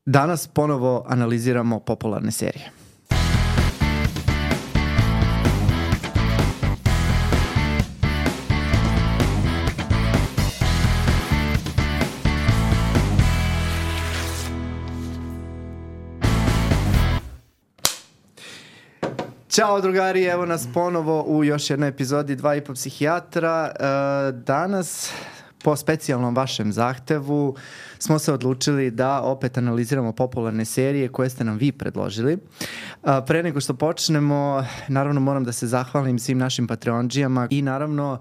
Danas ponovo analiziramo popularne serije. Ćao drugari, evo nas ponovo u još jednoj epizodi 2,5 psihijatra. Danas, po specijalnom vašem zahtevu, smo se odlučili da opet analiziramo popularne serije koje ste nam vi predložili. Pre nego što počnemo, naravno moram da se zahvalim svim našim Patreondžijama i naravno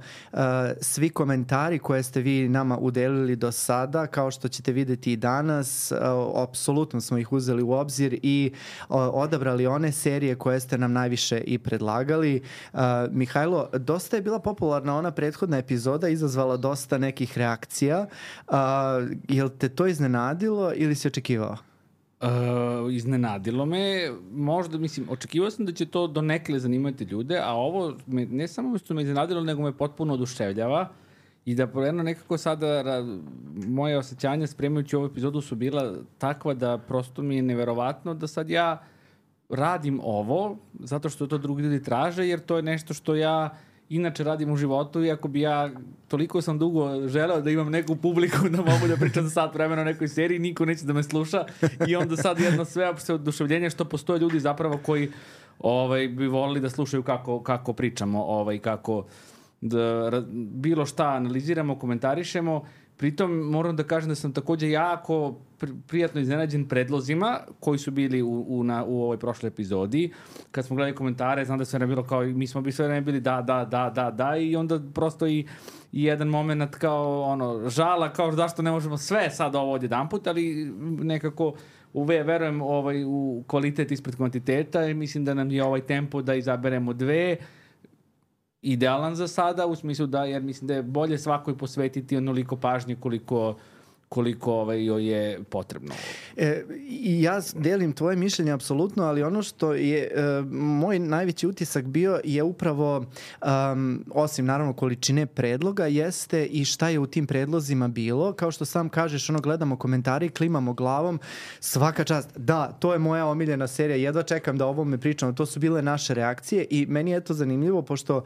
svi komentari koje ste vi nama udelili do sada, kao što ćete videti i danas, apsolutno smo ih uzeli u obzir i odabrali one serije koje ste nam najviše i predlagali. Mihajlo, dosta je bila popularna ona prethodna epizoda, izazvala dosta nekih reakcija. Jel te to iznenadilo ili si očekivao? Iznenadilo me, možda, očekivao sam da će to donekle zanimati ljude, a ovo ne samo što me iznenadilo, nego me potpuno oduševljava i da jedno nekako sada moje osjećanja spremajući ovu epizodu su bila takva da prosto mi je neverovatno da sad ja radim ovo zato što to drugi ljudi traže, jer to je nešto što ja inače radim u životu, iako bi ja toliko sam dugo želeo da imam neku publiku da mogu da pričam za sat vremena o nekoj seriji, niko neće da me sluša i onda sad jedno sveopšte oduševljenje što postoje ljudi zapravo koji bi volili da slušaju kako pričamo, kako bilo šta analiziramo, komentarišemo. Pritom moram da kažem da sam takođe jako prijatno iznenađen predlozima koji su bili u ovoj prošloj epizodi. Kad smo gledali komentare, znam da sve ne bilo kao, mi smo bi sve ne bili da i onda prosto i jedan moment kao žala, kao zašto ne možemo sve sad ovo odjedanput, ali nekako verujem u kvalitet ispred kvantiteta i mislim da nam je ovaj tempo da izaberemo dve idealan za sada, u smislu da, jer mislim da je bolje svakoj posvetiti onoliko pažnje koliko joj je potrebno. I ja delim tvoje mišljenje apsolutno, ali ono što je moj najveći utisak bio je upravo, osim naravno količine predloga, jeste i šta je u tim predlozima bilo. Kao što sam kažeš, gledamo komentari, klimamo glavom, svaka čast, da, to je moja omiljena serija, jedva čekam da o ovome pričamo, to su bile naše reakcije i meni je to zanimljivo, pošto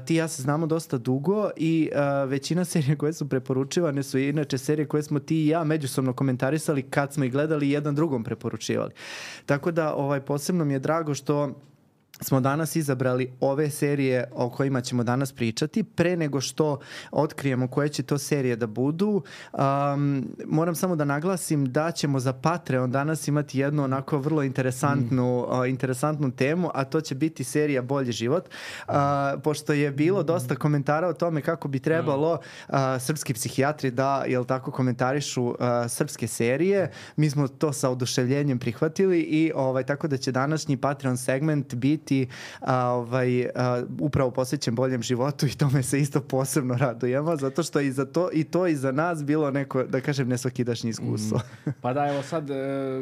ti i ja se znamo dosta dugo i većina serija koje su preporučivane su inače serije koje smo ti i ja međusobno komentarisali kad smo ih gledali i jedan drugom preporučivali. Tako da posebno mi je drago što smo danas izabrali ove serije o kojima ćemo danas pričati. Pre nego što otkrijemo koje će to serije da budu, moram samo da naglasim da ćemo za Patreon danas imati jednu onako vrlo interesantnu temu, a to će biti serija Bolji život. Pošto je bilo dosta komentara o tome kako bi trebalo srpski psihijatri da, jel tako, komentarišu srpske serije. Mi smo to sa oduševljenjem prihvatili i tako da će današnji Patreon segment biti upravo posvećen boljem životu i tome se isto posebno radujemo, zato što i to i za nas bilo neko, da kažem, nesvakidašnje iskustvo. Pa da, evo sad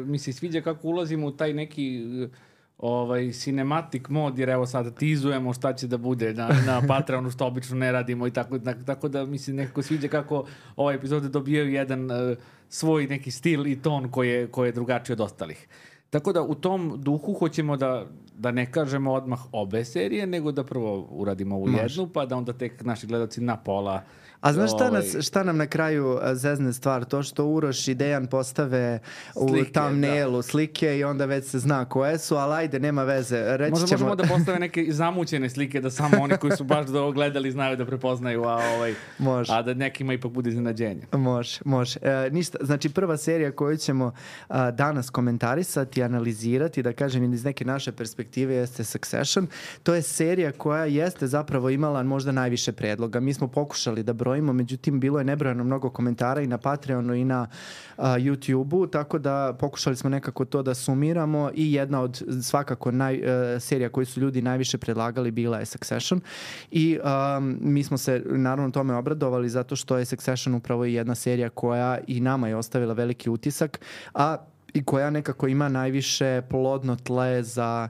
mi se sviđa kako ulazimo u taj neki cinematic mod, jer evo sad tizujemo šta će da bude na Patreonu, što obično ne radimo i tako da mi se nekako sviđa kako ove epizode dobijaju jedan svoj neki stil i ton koji je drugačiji od ostalih. Tako da u tom duhu hoćemo da ne kažemo odmah obe serije, nego da prvo uradimo ovu jednu, pa da onda tek naši gledalci na pola. A znaš šta nam na kraju zezne stvar? To što Uroš i Dejan postave u thumbnailu slike i onda već se zna koje su, ali ajde, nema veze. Možemo da postave neke zamućene slike, da samo oni koji su baš gledali znaju da prepoznaju, a da nekima ipak bude iznenađenje. Može. Ništa, znači prva serija koju ćemo danas komentarisati, analizirati, da kažem iz neke naše perspektive, jeste Succession. To je serija koja jeste zapravo imala možda najviše predloga. Mi smo pokušali da brojimo, međutim bilo je nebrojano mnogo komentara i na Patreonu i na YouTube-u, tako da pokušali smo nekako to da sumiramo i jedna od svakako serija koju su ljudi najviše predlagali bila je Succession i mi smo se naravno tome obradovali zato što je Succession upravo jedna serija koja i nama je ostavila veliki utisak, i koja nekako ima najviše plodno tle za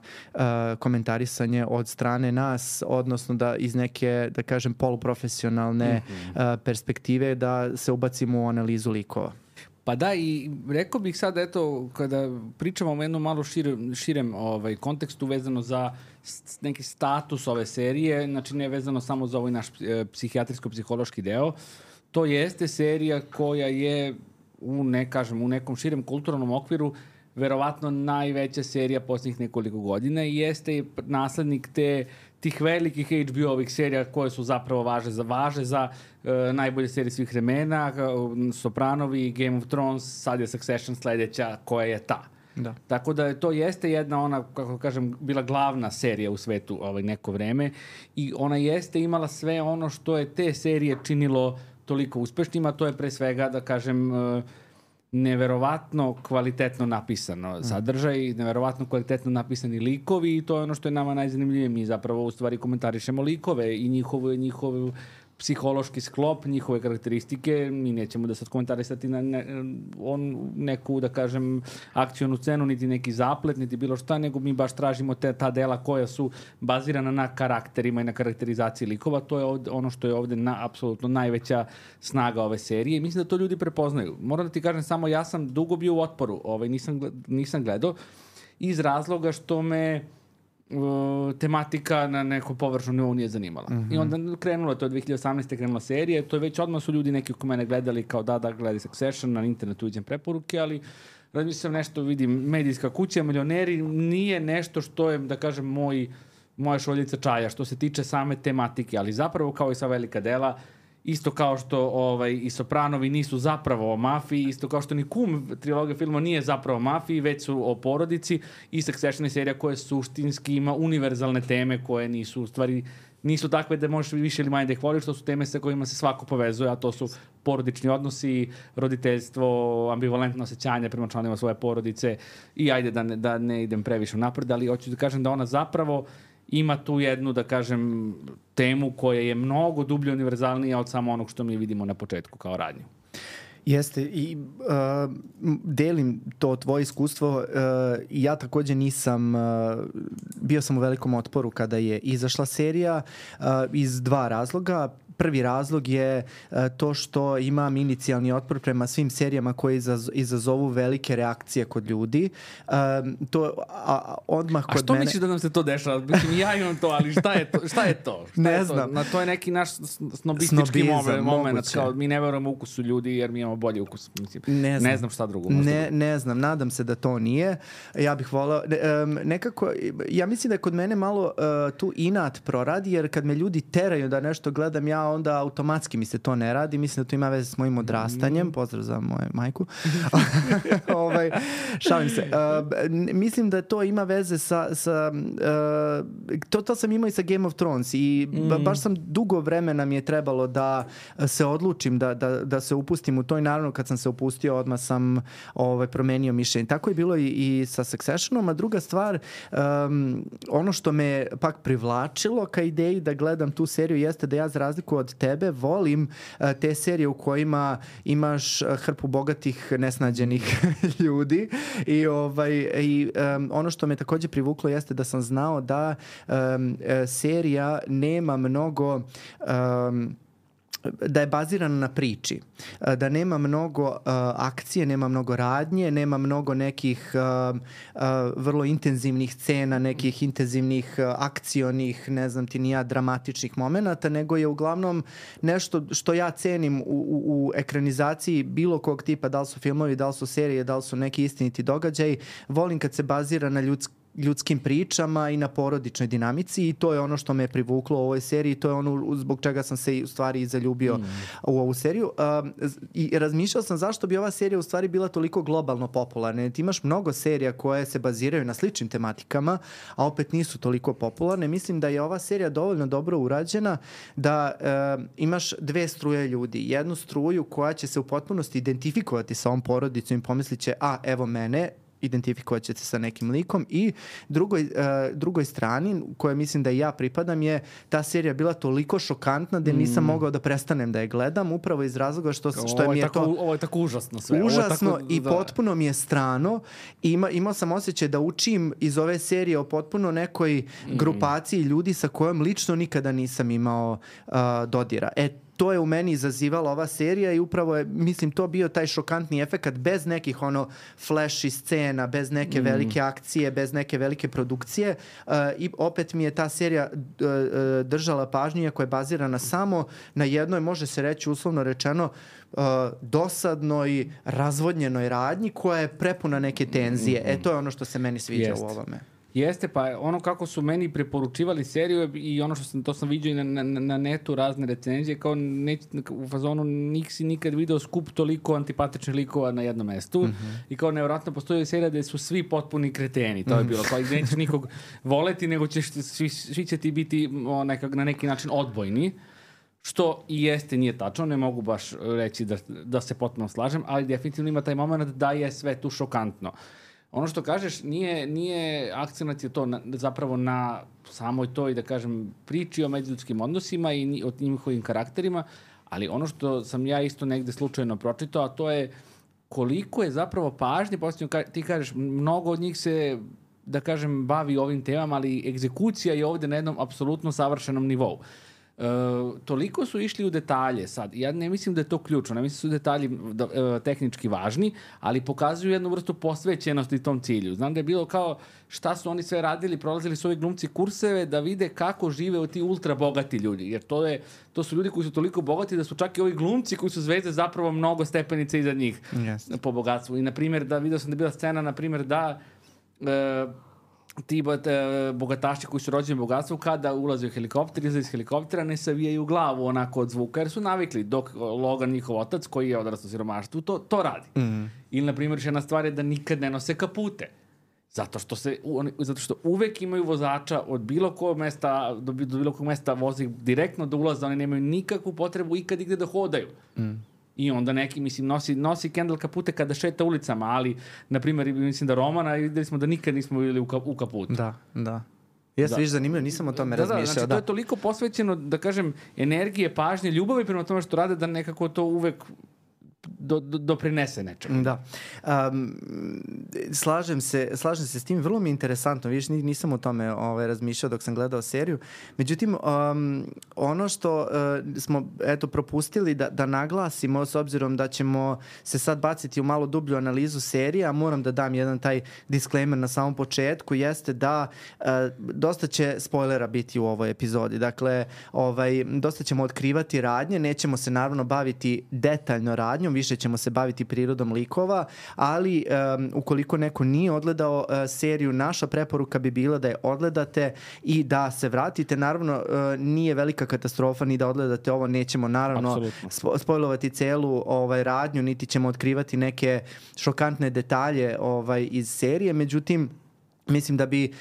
komentarisanje od strane nas, odnosno da iz neke, da kažem, poluprofesionalne perspektive da se ubacimo u analizu likova. Pa da, i rekao bih sad, eto, kada pričamo o jednom malo širem kontekstu vezano za neki status ove serije, znači ne vezano samo za ovaj naš psihijatrijsko-psihološki deo, to jeste serija koja je u nekom širem kulturnom okviru verovatno najveća serija posljednjih nekoliko godina i jeste naslednik tih velikih HBO-ovih serija koje su zapravo važe za najbolje serije svih vremena, Sopranovi, Game of Thrones, sad je Succession sledeća koja je ta. Da. Tako da to jeste jedna ona, kako kažem, bila glavna serija u svetu neko vreme i ona jeste imala sve ono što je te serije činilo toliko uspešnima, to je pre svega, da kažem, neverovatno kvalitetno napisano sadržaj, neverovatno kvalitetno napisani likovi i to je ono što je nama najzanimljivije. Mi zapravo u stvari komentarišemo likove i njihov psihološki sklop, njihove karakteristike. Mi nećemo da sad komentarisati na neku, da kažem, akcionu scenu, niti neki zaplet, niti bilo šta, nego mi baš tražimo ta dela koja su bazirana na karakterima i na karakterizaciji likova. To je ono što je ovde apsolutno najveća snaga ove serije. Mislim da to ljudi prepoznaju. Moram da ti kažem samo, ja sam dugo bio u otporu, nisam gledao, iz razloga što me tematika na nekom površnom nivou nije zanimala. I onda krenula, to je 2018. krenula serija, to je već odmah su ljudi neki ko mene gledali kao da gledaj Succession, na internetu vidim preporuke, ali razmišljam nešto, vidim, medijska kuća, milioneri, nije nešto što je, da kažem, moja šoljica čaja, što se tiče same tematike, ali zapravo kao i sva velika dela, isto kao što i Sopranovi nisu zapravo o mafiji, isto kao što ni Kum trilogija filma nije zapravo o mafiji, već su o porodici i Succession je serija koja suštinski ima univerzalne teme koje nisu u stvari nisu takve da možeš više ili manje da ih voliš, to su teme sa kojima se svako povezuje, a to su porodični odnosi, roditeljstvo, ambivalentno osjećanje prema članima svoje porodice i ajde da ne idem previše napred, ali hoću da kažem da ona zapravo ima tu jednu, da kažem, temu koja je mnogo dublje univerzalnija od samo onog što mi vidimo na početku kao radnju. Jeste i delim to tvoje iskustvo. Ja takođe nisam, bio sam u velikom otporu kada je izašla serija iz dva razloga. Prvi razlog je to što imam inicijalni otpor prema svim serijama koje izazovu velike reakcije kod ljudi. Odmah kod mene... A što misliš da nam se to dešava? Mislim, ja imam to, ali šta je to? Ne znam. To je neki naš snobistički moment. Kao, mi ne verujemo ukusu ljudi jer mi imamo bolji ukus. Mislim, ne znam šta drugo. Ne znam, nadam se da to nije. Ja bih volao... Nekako, ja mislim da je kod mene malo tu inat proradi, jer kad me ljudi teraju da nešto gledam, ja onda automatski mi se to ne radi. Mislim da to ima veze s mojim odrastanjem. Pozdrav za moju majku. Šalim se. Mislim da to ima veze sa to sam imao i sa Game of Thrones i baš sam dugo vremena mi je trebalo da se odlučim da se upustim u to i naravno kad sam se upustio odmah sam promenio mišljenje. Tako je bilo i sa Successionom, a druga stvar, ono što me pak privlačilo ka ideji da gledam tu seriju jeste da ja za razliku od tebe volim te serije u kojima imaš hrpu bogatih nesnađenih ljudi i ono što me takođe privuklo jeste da sam znao da serija nema mnogo da je bazirana na priči, da nema mnogo akcije, nema mnogo radnje, nema mnogo nekih vrlo intenzivnih scena, nekih intenzivnih akcionih, ne znam ti ni ja, dramatičnih momenata, nego je uglavnom nešto što ja cenim u ekranizaciji bilo kog tipa, da li su filmovi, da li su serije, da li su neki istiniti događaj. Volim kad se bazira na ljudskim pričama i na porodičnoj dinamici i to je ono što me privuklo u ovoj seriji, to je ono zbog čega sam se u stvari zaljubio u ovu seriju i razmišljao sam zašto bi ova serija u stvari bila toliko globalno popularna. Ti imaš mnogo serija koje se baziraju na sličnim tematikama, a opet nisu toliko popularne. Mislim da je ova serija dovoljno dobro urađena da imaš dve struje ljudi. Jednu struju koja će se u potpunosti identifikovati sa ovom porodicom i pomislit će, evo mene, identifikovat ćete sa nekim likom i drugoj strani koje mislim da i ja pripadam je ta serija bila toliko šokantna da nisam mogao da prestanem da je gledam upravo iz razloga što mi je to... Ovo je tako užasno sve. Užasno i potpuno mi je strano. Imao sam osjećaj da učim iz ove serije o potpuno nekoj grupaciji ljudi sa kojom lično nikada nisam imao dodira. to je u meni izazivala ova serija i upravo je, mislim, to bio taj šokantni efekat bez nekih flashy scena, bez neke velike akcije, bez neke velike produkcije i opet mi je ta serija držala pažnju koja je bazirana samo na jednoj, može se reći uslovno rečeno, dosadnoj, razvodnjenoj radnji koja je prepuna neke tenzije. To je ono što se meni sviđa u ovome. Jeste, pa ono kako su meni preporučivali seriju i ono što to sam vidio i na netu razne recenzije, kao u fazonu nisi nikad video skup toliko antipatičnih likova na jednom mestu i kao nevjerojatno postoji serija gde su svi potpuni kreteni, to je bilo, kao i nećeš nikog voleti, nego ćeš, svi će ti biti na neki način odbojni. Što i jeste, nije tačno, ne mogu baš reći da se potpuno slažem, ali definitivno ima taj moment da je sve tu šokantno. Ono što kažeš, nije akcenat je to zapravo na samoj toj, da kažem, priči o međuljudskim odnosima i o njihovim karakterima, ali ono što sam ja isto negde slučajno pročitao, a to je koliko je zapravo pažnje, posljedno ti kažeš, mnogo od njih se, da kažem, bavi ovim temama, ali egzekucija je ovde na jednom apsolutno savršenom nivou. Toliko su išli u detalje sad. Ja ne mislim da je to ključno, ne mislim da su detalji tehnički važni, ali pokazuju jednu vrstu posvećenosti tom cilju. Znam da je bilo kao šta su oni sve radili, prolazili su ovi glumci kurseve da vide kako žive ti ultra bogati ljudi, jer to su ljudi koji su toliko bogati da su čak i ovi glumci koji su zvezde zapravo mnogo stepenica iza njih po bogatstvu. I na primjer, vidio sam da je bila scena, na primjer, da ti bogataši koji su rođeni u bogatstvu, kada ulaze u helikopter, izlaze iz helikoptera, ne savijaju glavu onako od zvuka, jer su navikli, dok Logan, njihov otac, koji je odrastao u siromaštvu, to radi. Ili, na primjer, jedna stvar je da nikad ne nose kapute. Zato što uvek imaju vozača od bilo kog mesta, do bilo kog mesta vozi direktno do ulaza, oni nemaju nikakvu potrebu ikad igde da hodaju. I onda neki, mislim, nosi Kendall kapute kada šeta ulicama, ali, na primjer, mislim da Romana, videli smo da nikad nismo bili u kaputu. Da. Jeste, viš zanimljivo, nisam o tome razmišljao. Znači, to je toliko posvećeno, da kažem, energije, pažnje, ljubavi prema tome što rade, da nekako to uvek doprinese nečemu. Da. Slažem se s tim. Vrlo mi je interesantno. Vidiš, nisam o tome razmišljao dok sam gledao seriju. Međutim, ono što smo propustili da naglasimo, s obzirom da ćemo se sad baciti u malo dublju analizu serije, a moram da dam jedan taj disclaimer na samom početku, jeste da dosta će spoilera biti u ovoj epizodi. Dakle, dosta ćemo otkrivati radnje, nećemo se naravno baviti detaljno radnjom, više ćemo se baviti prirodom likova, ali ukoliko neko nije odgledao seriju, naša preporuka bi bila da je odgledate i da se vratite. Naravno, nije velika katastrofa ni da odgledate ovo, nećemo naravno spojlovati celu radnju, niti ćemo otkrivati neke šokantne detalje iz serije, međutim, mislim da bi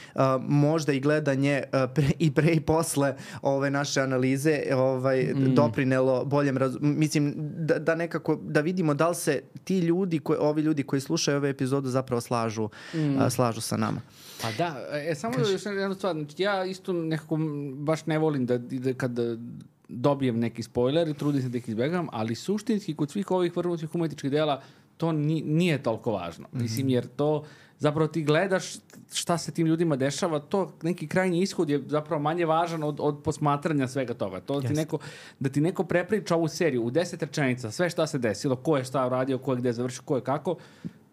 možda i gledanje i pre i posle ove naše analize doprinelo boljem mislim da nekako da vidimo da li se ti ljudi, ovi ljudi koji slušaju ove epizodu zapravo slažu sa nama. Pa da, samo još jedna stvar, ja isto nekako baš ne volim da kad dobijem neki spoiler i trudim se da ih izbegam, ali suštinski kod svih ovih vrhunskih umetničkih dela to nije toliko važno. Mislim, jer to zapravo ti gledaš šta se tim ljudima dešava, to neki krajnji ishod je zapravo manje važan od posmatranja svega toga. To da ti neko prepriča ovu seriju u 10 rečenica, sve šta se desilo, ko je šta uradio, ko je gde završio, ko je kako,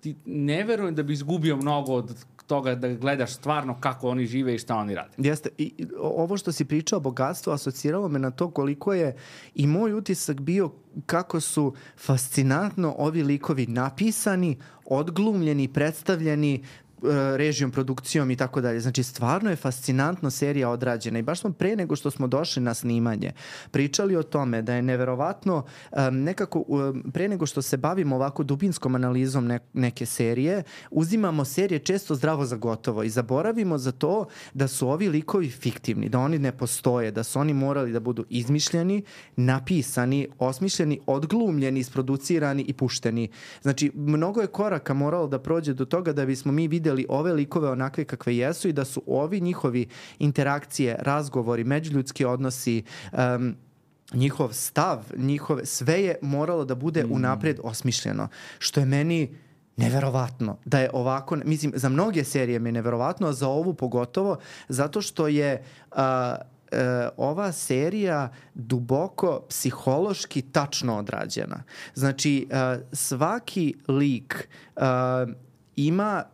ti ne verujem da bi izgubio mnogo od toga da gledaš stvarno kako oni žive i šta oni rade. Jeste. I ovo što si pričao o bogatstvu asociralo me na to koliko je i moj utisak bio kako su fascinantno ovi likovi napisani, odglumljeni, predstavljeni režijom, produkcijom i tako dalje. Znači, stvarno je fascinantno serija odrađena i baš smo pre nego što smo došli na snimanje pričali o tome da je neverovatno nekako pre nego što se bavimo ovako dubinskom analizom neke serije, uzimamo serije često zdravo za gotovo i zaboravimo za to da su ovi likovi fiktivni, da oni ne postoje, da su oni morali da budu izmišljeni, napisani, osmišljeni, odglumljeni, isproducirani i pušteni. Znači, mnogo je koraka moralo da prođe do toga da bismo mi videli ove likove onakve kakve jesu i da su ovi njihovi interakcije, razgovori, međuljudski odnosi, njihov stav, sve je moralo da bude unapred osmišljeno. Što je meni neverovatno da je ovako, mislim, za mnoge serije mi je neverovatno, a za ovu pogotovo, zato što je ova serija duboko psihološki tačno odrađena. Znači, svaki lik ima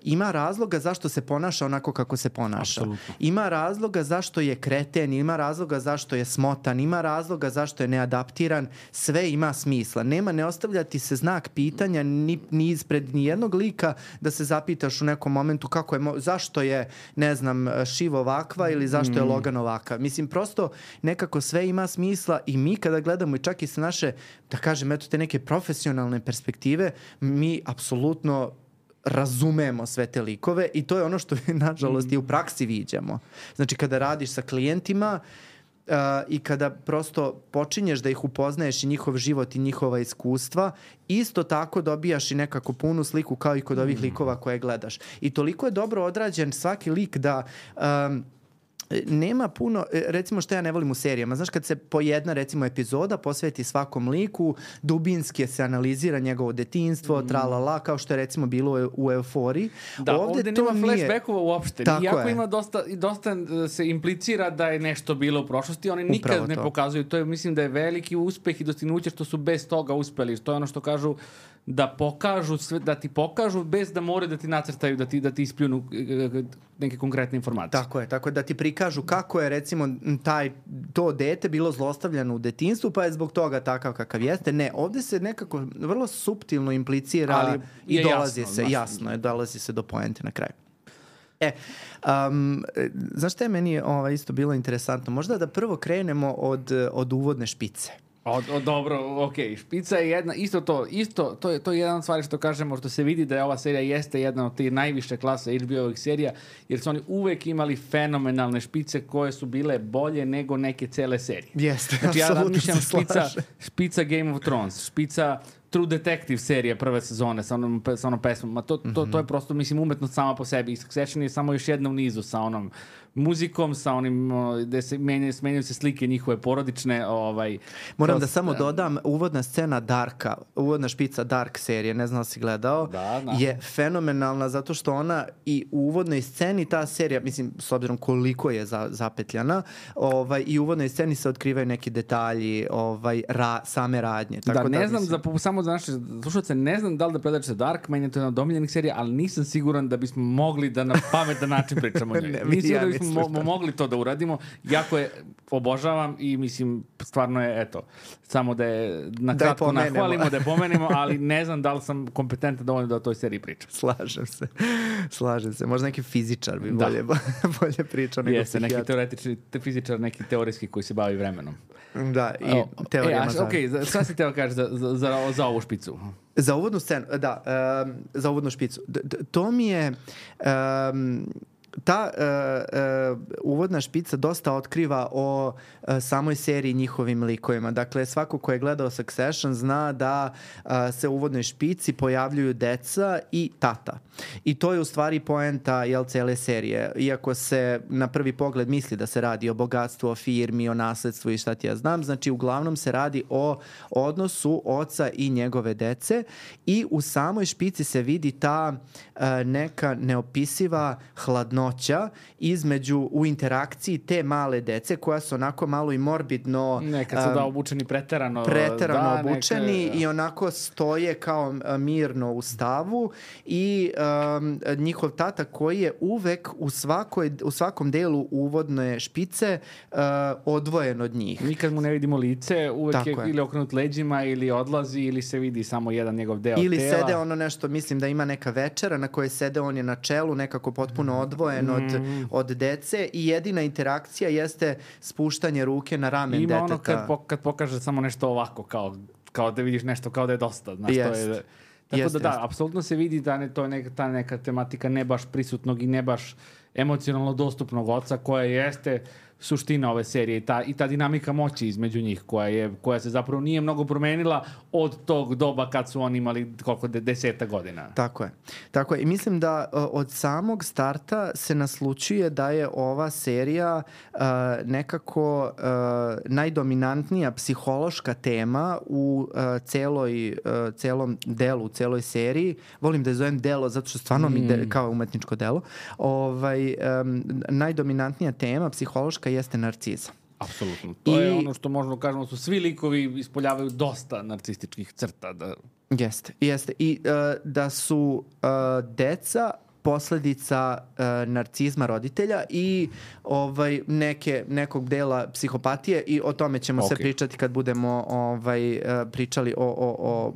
ima razloga zašto se ponaša onako kako se ponaša. Apsolutno. Ima razloga zašto je kreten, ima razloga zašto je smotan, ima razloga zašto je neadaptiran, sve ima smisla. Ne ostavljati se znak pitanja ni ispred nijednog lika da se zapitaš u nekom momentu zašto je, ne znam, Shiv ovakva ili zašto je Logan ovakav. Mislim, prosto nekako sve ima smisla i mi kada gledamo i čak i sa naše, da kažem, eto te neke profesionalne perspektive, mi apsolutno razumemo sve te likove i to je ono što nažalost i u praksi viđamo. Znači kada radiš sa klijentima i kada prosto počinješ da ih upoznaješ i njihov život i njihova iskustva, isto tako dobijaš i nekako punu sliku kao i kod ovih likova koje gledaš. I toliko je dobro odrađen svaki lik da nema puno, recimo što ja ne volim u serijama, znaš kad se po jedna recimo epizoda posveti svakom liku, dubinski se analizira njegovo detinjstvo, tralala, kao što je recimo bilo u Euforiji. Da, ovde nema flashbackova uopšte. Tako iako je. ima dosta se implicira da je nešto bilo u prošlosti, oni nikad ne pokazuju. To je, mislim da je veliki uspeh i dostignuće što su bez toga uspeli. To je ono što kažu da pokažu sve, da ti pokažu bez da moraju da ti nacrtaju, da ti ispljunu neke konkretne informacije. Tako je, da ti prikažu kako je recimo to dete bilo zlostavljano u detinjstvu, pa je zbog toga takav kakav jeste. Ne, ovde se nekako vrlo suptilno implicira, ali i dolazi se do poente na kraju. Znaš šta je meni isto bilo interesantno? Možda da prvo krenemo od uvodne špice. Dobro, okej. Špica je jedna, to je jedna stvar što kažemo, što se vidi da je ova serija jeste jedna od tih najviše klase HBO-ovih serija, jer su oni uvek imali fenomenalne špice koje su bile bolje nego neke cele serije. Jeste, znači, ja razmišljam slažem. špica Game of Thrones, špica True Detective serije prve sezone sa onom pesmom. To je prosto, mislim, umetnost sama po sebi. Succession je samo još jedna u nizu sa onom muzikom, sa onim gde se menjaju se slike njihove porodične. Moram da samo dodam, uvodna scena uvodna špica Dark serije, ne znam da si gledao, je fenomenalna zato što ona i u uvodnoj sceni ta serija, mislim, s obzirom koliko je zapetljana, i u uvodnoj sceni se otkrivaju neki detalji same radnje. Tako ne znam, samo za naše slušalce, ne znam da li da predačite Dark, meni je to jedna od omiljenih serija, ali nisam siguran da bismo mogli da na pametan način pričamo o njoj. Mislim da bismo mogli to da uradimo. Jako je obožavam i mislim, stvarno je, eto, samo da je nakratko nahvalimo, da je pomenemo, ali ne znam da li sam kompetentan dovoljno da o toj seriji pričam. Slažem se. Možda neki fizičar bi bolje pričao nego psihijatar. Neki teoretični fizičar, neki teorijski koji se bavi vremenom. Da, i teorijama zavljaju. Šta si teo kaži za ovu špicu? Za uvodnu scenu, za uvodnu špicu. To mi je... Ta uvodna špica dosta otkriva o samoj seriji njihovim likovima. Dakle, svako ko je gledao Succession zna da se u uvodnoj špici pojavljuju deca i tata. I to je u stvari poenta cele serije. Iako se na prvi pogled misli da se radi o bogatstvu, o firmi, o nasledstvu i šta ti ja znam, znači uglavnom se radi o odnosu oca i njegove dece i u samoj špici se vidi ta neka neopisiva hladnoća u interakciji te male dece koja su onako malo i morbidno nekad su obučeni preterano obučeni i onako stoje kao mirno u stavu i njihov tata koji je uvek u svakom delu uvodne špice odvojen od njih. Nikad mu ne vidimo lice, uvek je ili okrenut leđima ili odlazi ili se vidi samo jedan njegov deo ili tela. sede ono nešto, mislim da ima neka večera na kojoj sede, on je na čelu nekako potpuno odvojen od dece i jedina interakcija jeste spuštanje ruke na ramen deteta. Ima ono kad pokaže samo nešto ovako, kao da vidiš nešto, kao da je dosta. Tako da, apsolutno se vidi da to je ta neka tematika ne baš prisutnog i ne baš emocionalno dostupnog oca koja jeste suština ove serije i ta dinamika moći između njih koja se zapravo nije mnogo promenila od tog doba kad su oni imali koliko 10 godina. Tako je. I mislim da od samog starta se naslučuje da je ova serija nekako najdominantnija psihološka tema u celom delu, u celoj seriji. Volim da je zovem delo zato što stvarno mi kao umetničko delo. najdominantnija tema psihološka jeste narcizam. Apsolutno. To je ono što možemo kažemo su svi likovi ispoljavaju dosta narcističkih crta. Jeste. I da su deca posledica narcizma roditelja i nekog dela psihopatije i o tome ćemo se pričati kad budemo pričali o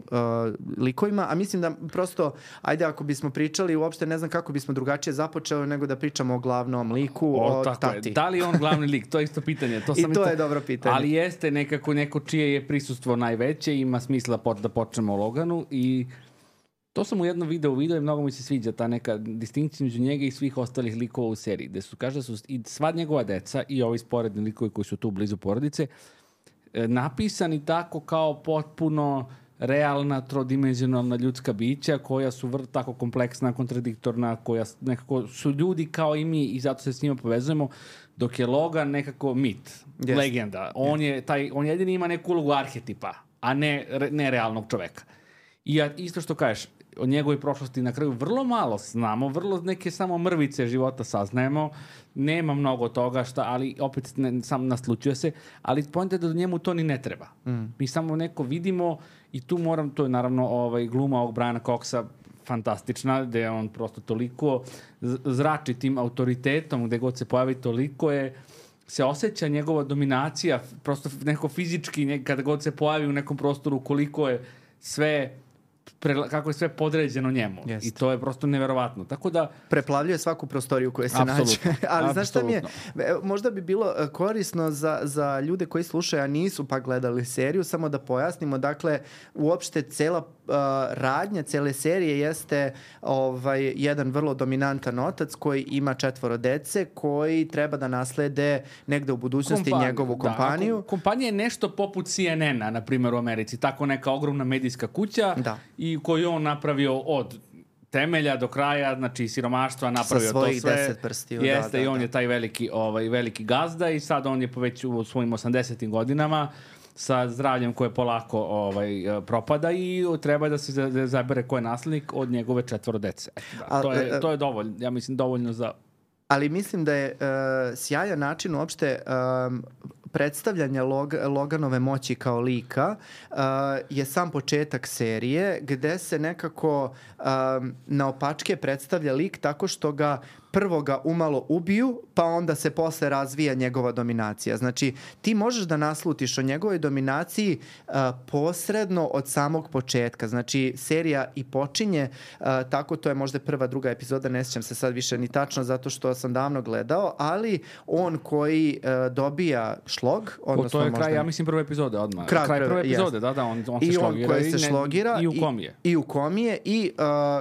likovima. A mislim da prosto, ajde ako bismo pričali, uopšte ne znam kako bismo drugačije započeli nego da pričamo o glavnom liku, o tati. Da li je on glavni lik? To je isto pitanje. To je dobro pitanje. Ali jeste nekako neko čije je prisustvo najveće, ima smisla da počnemo o Loganu i to sam u jednom videu i mnogo mi se sviđa ta neka distinkcija među njega i svih ostalih likova u seriji, gde su, kaže, su i sva njegova deca i ovi sporedni likovi koji su tu blizu porodice napisani tako kao potpuno realna, trodimenzionalna ljudska bića koja su tako kompleksna, kontradiktorna, koja nekako su ljudi kao i mi i zato se s njima povezujemo, dok je Logan nekako mit, legenda. On jedini ima neku ulogu arhetipa, a ne realnog čoveka. I isto što kažeš, o njegovoj prošlosti na kraju vrlo malo znamo, vrlo neke samo mrvice života saznajemo, nema mnogo toga ali opet sam naslučuje se, ali poenta je da njemu to ni ne treba. Mi samo neko vidimo i tu to je naravno gluma ovog Briana Coxa fantastična, gde on prosto toliko zrači tim autoritetom, gde god se pojavi toliko se osjeća njegova dominacija, prosto neko fizički, kada god se pojavi u nekom prostoru, koliko je sve kako je sve podređeno njemu. I to je prosto neverovatno. Tako da preplavljuje svaku prostoriju koja se nađe. Ali znaš šta mi je? Možda bi bilo korisno za ljude koji slušaju, a nisu pa gledali seriju, samo da pojasnimo. Dakle, uopšte cela radnja cele serije jeste jedan vrlo dominantan otac koji ima 4 dece koji treba da naslede negde u budućnosti njegovu kompaniju. Kompanija je nešto poput CNN-a, na primjer u Americi. Tako neka ogromna medijska kuća i koju on napravio od temelja do kraja, znači siromaštva napravio to sve. Sa svojih 10 prstiju. Jeste, i on je taj veliki gazda i sad on je već u svojim 80. godinama sa zdravljem koje polako propada i treba da se zabere ko je naslednik od njegove 4 dece. To je dovoljno, ja mislim dovoljno za... Ali mislim da je sjajan način uopšte predstavljanja Loganove moći kao lika je sam početak serije gde se nekako naopačke predstavlja lik tako što ga prvo ga umalo ubiju, pa onda se posle razvija njegova dominacija. Znači, ti možeš da naslutiš o njegovoj dominaciji posredno od samog početka. Znači, serija i počinje tako, to je možda prva, druga epizoda, ne sjećam se sad više ni tačno zato što sam davno gledao, ali on koji dobija šlog, odnosno to je kraj, ja mislim, prve epizode odmah. Kraj prve epizode, on se šlogira. I on koji se šlogira i u komije. I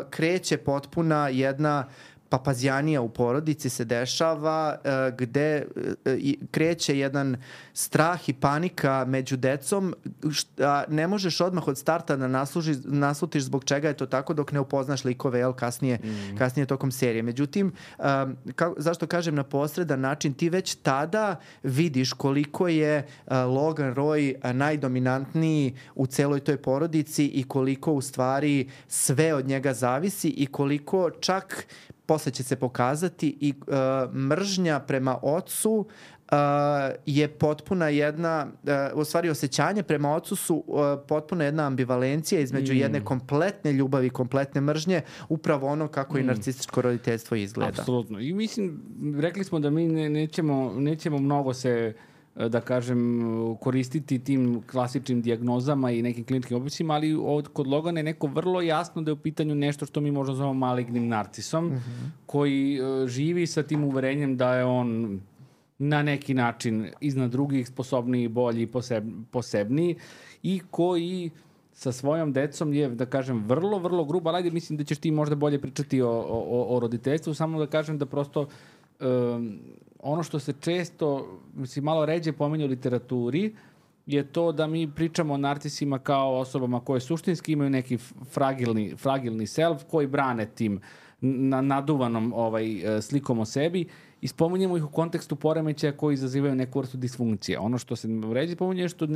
kreće potpuna jedna papazjanija u porodici se dešava gde kreće jedan strah i panika među decom, ne možeš odmah od starta da naslutiš zbog čega je to tako dok ne upoznaš likove kasnije tokom serije. Međutim, zašto kažem na posredan način, ti već tada vidiš koliko je Logan Roy najdominantniji u celoj toj porodici i koliko u stvari sve od njega zavisi i koliko čak posle će se pokazati i mržnja prema ocu je potpuna jedna, u stvari osjećanje prema ocu su potpuno jedna ambivalencija između jedne kompletne ljubavi, kompletne mržnje, upravo ono kako i narcističko roditeljstvo izgleda. Apsolutno. I mislim, rekli smo da mi nećemo mnogo se, da kažem, koristiti tim klasičnim dijagnozama i nekim kliničkim opisima, ali kod Logana je neko vrlo jasno da je u pitanju nešto što mi možda zovemo malignim narcisom, koji živi sa tim uverenjem da je on na neki način iznad drugih sposobniji, bolji, posebniji i koji sa svojom decom je, da kažem, vrlo, vrlo gruba. Ali ajde, mislim da ćeš ti možda bolje pričati o roditeljstvu, samo da kažem da prosto ono što se često, mislim, malo ređe pominje u literaturi, je to da mi pričamo o narcisima kao osobama koje suštinski imaju neki fragilni self koji brane tim naduvanom slikom o sebi i spominjemo ih u kontekstu poremećaja koji izazivaju neku vrstu disfunkcije. Ono što se vređe pominje je što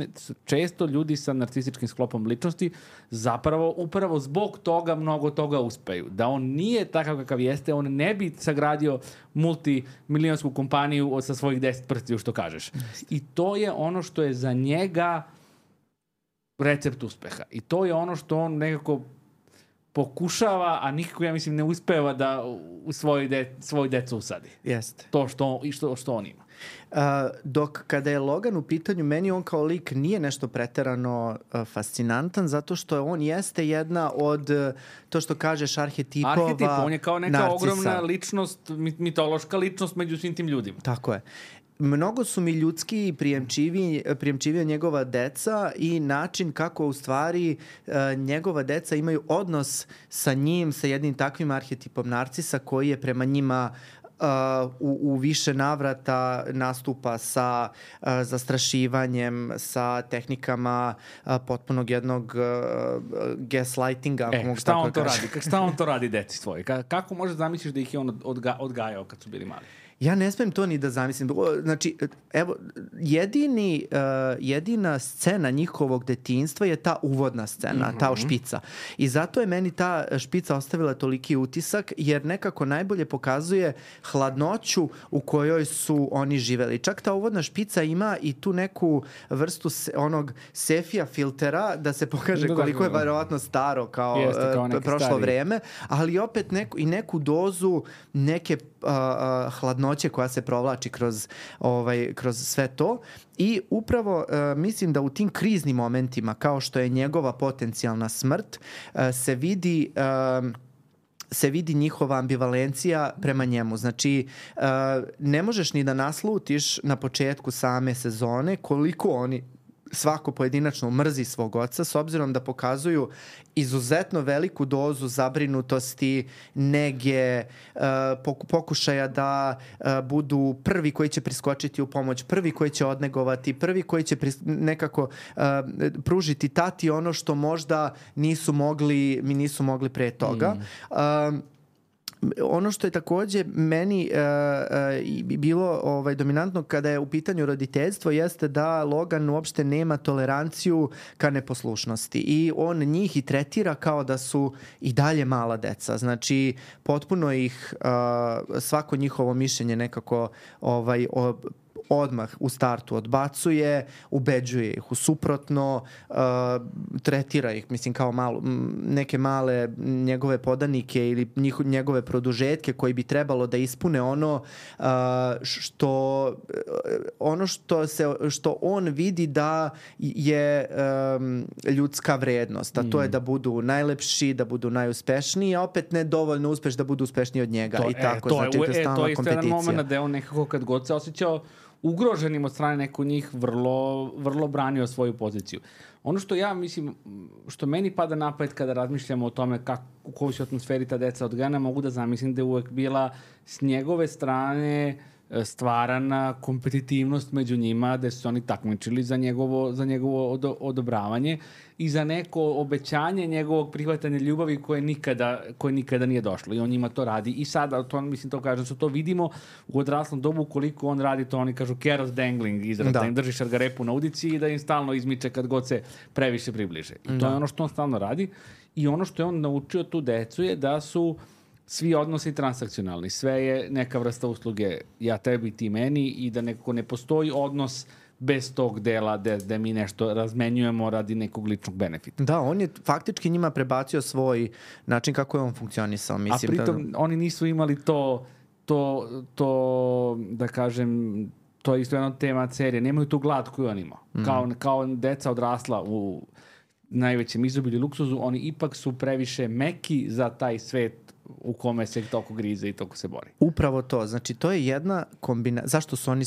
često ljudi sa narcističkim sklopom ličnosti zapravo upravo zbog toga mnogo toga uspeju. Da on nije takav kakav jeste, on ne bi sagradio multimilionsku kompaniju sa svojih 10 prstiju, što kažeš. I to je ono što je za njega recept uspeha. I to je ono što on nekako pokušava, a nikako, ja mislim, ne uspeva da u svoj decu usadi. Jeste. To što on ima. Dok kada je Logan u pitanju, meni on kao lik nije nešto preterano fascinantan, zato što on jeste jedna od, to što kažeš, arhetipova on je kao neka narcisa. Ogromna ličnost, mitološka ličnost među svim tim ljudima. Tako je. Mnogo su mi ljudski i prijemčivija njegova deca i način kako u stvari njegova deca imaju odnos sa njim, sa jednim takvim arhetipom narcisa koji je prema njima u više navrata nastupa sa zastrašivanjem, sa tehnikama potpunog jednog gaslightinga. Šta on to radi deci svoje? Kako možeš zamisliš da ih je on odgajao kad su bili mali? Ja ne smem to ni da zamislim. Znači, evo, jedina scena njihovog detinjstva je ta uvodna scena, ta špica. I zato je meni ta špica ostavila toliki utisak, jer nekako najbolje pokazuje hladnoću u kojoj su oni živeli. Čak ta uvodna špica ima i tu neku vrstu onog sefija filtera da se pokaže koliko je verovatno staro kao prošlo vreme, ali opet neku dozu neke hladnoće koja se provlači kroz sve to. I upravo mislim da u tim kriznim momentima, kao što je njegova potencijalna smrt, se vidi njihova ambivalencija prema njemu. Znači, ne možeš ni da naslutiš na početku same sezone koliko oni svako pojedinačno mrzi svog oca, s obzirom da pokazuju izuzetno veliku dozu zabrinutosti, nege, pokušaja da budu prvi koji će priskočiti u pomoć, prvi koji će odnegovati, prvi koji će nekako pružiti tati ono što možda nisu mogli pre toga. Ono što je takođe meni bilo dominantno kada je u pitanju roditeljstvo jeste da Logan uopšte nema toleranciju ka neposlušnosti i on njih i tretira kao da su i dalje mala deca. Znači, potpuno ih svako njihovo mišljenje nekako odmah u startu odbacuje, ubeđuje ih u suprotno, tretira ih, mislim, kao neke male njegove podanike ili njegove produžetke koji bi trebalo da ispune ono što on vidi da je ljudska vrednost, a to je da budu najlepši, da budu najuspešniji, a opet ne dovoljno uspeš da budu uspešniji od njega. To je isto jedan moment da je on nekako kad god se osjećao ugroženim od strane neko njih vrlo branio svoju poziciju. Ono što ja mislim, što meni pada na pamet kada razmišljamo o tome u kojoj su atmosferi ta deca odgajana, mogu da zamislim da je uvek bila s njegove strane stvarana kompetitivnost među njima, da su oni takmičili za njegovo odobravanje i za neko obećanje njegovog prihvatanja ljubavi koje nikada nije došlo. I on njima to radi. I sada, to kažem, što to vidimo u odraslom dobu, koliko on radi to, oni kažu carrot dangling, izraz, da im drži šargarepu na udici i da im stalno izmiče kad god se previše približe. I to je ono što on stalno radi. I ono što je on naučio tu decu je da su svi odnosi transakcionalni. Sve je neka vrsta usluge ja tebi, ti meni i da nekako ne postoji odnos bez tog dela da mi nešto razmenjujemo radi nekog ličnog benefita. Da, on je faktički njima prebacio svoj način kako je on funkcionisao. Mislim, a pritom oni nisu imali to da kažem, to je isto jedna tema serije. Nemaju tu glad koju on imao. Kao deca odrasla u najvećem izobilju luksuzu, oni ipak su previše meki za taj svet u kome se toliko grize i toliko se bori. Upravo to. Znači, to je jedna kombinacija. Zašto su oni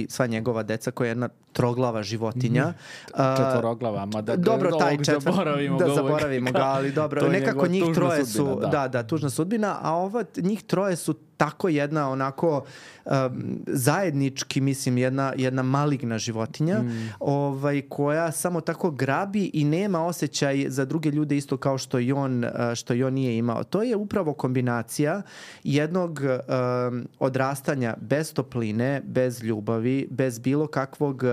sva njegova deca koja je jedna troglava životinja. Četvoroglava, ma da zaboravimo ga, ali dobro. Nekako njih troje su, tužna sudbina, a njih troje su tako jedna onako zajednički, mislim, jedna maligna životinja koja samo tako grabi i nema osjećaj za druge ljude isto kao što i on nije imao. To je upravo kombinacija jednog odrastanja bez topline, bez ljubavi, bez bilo kakvog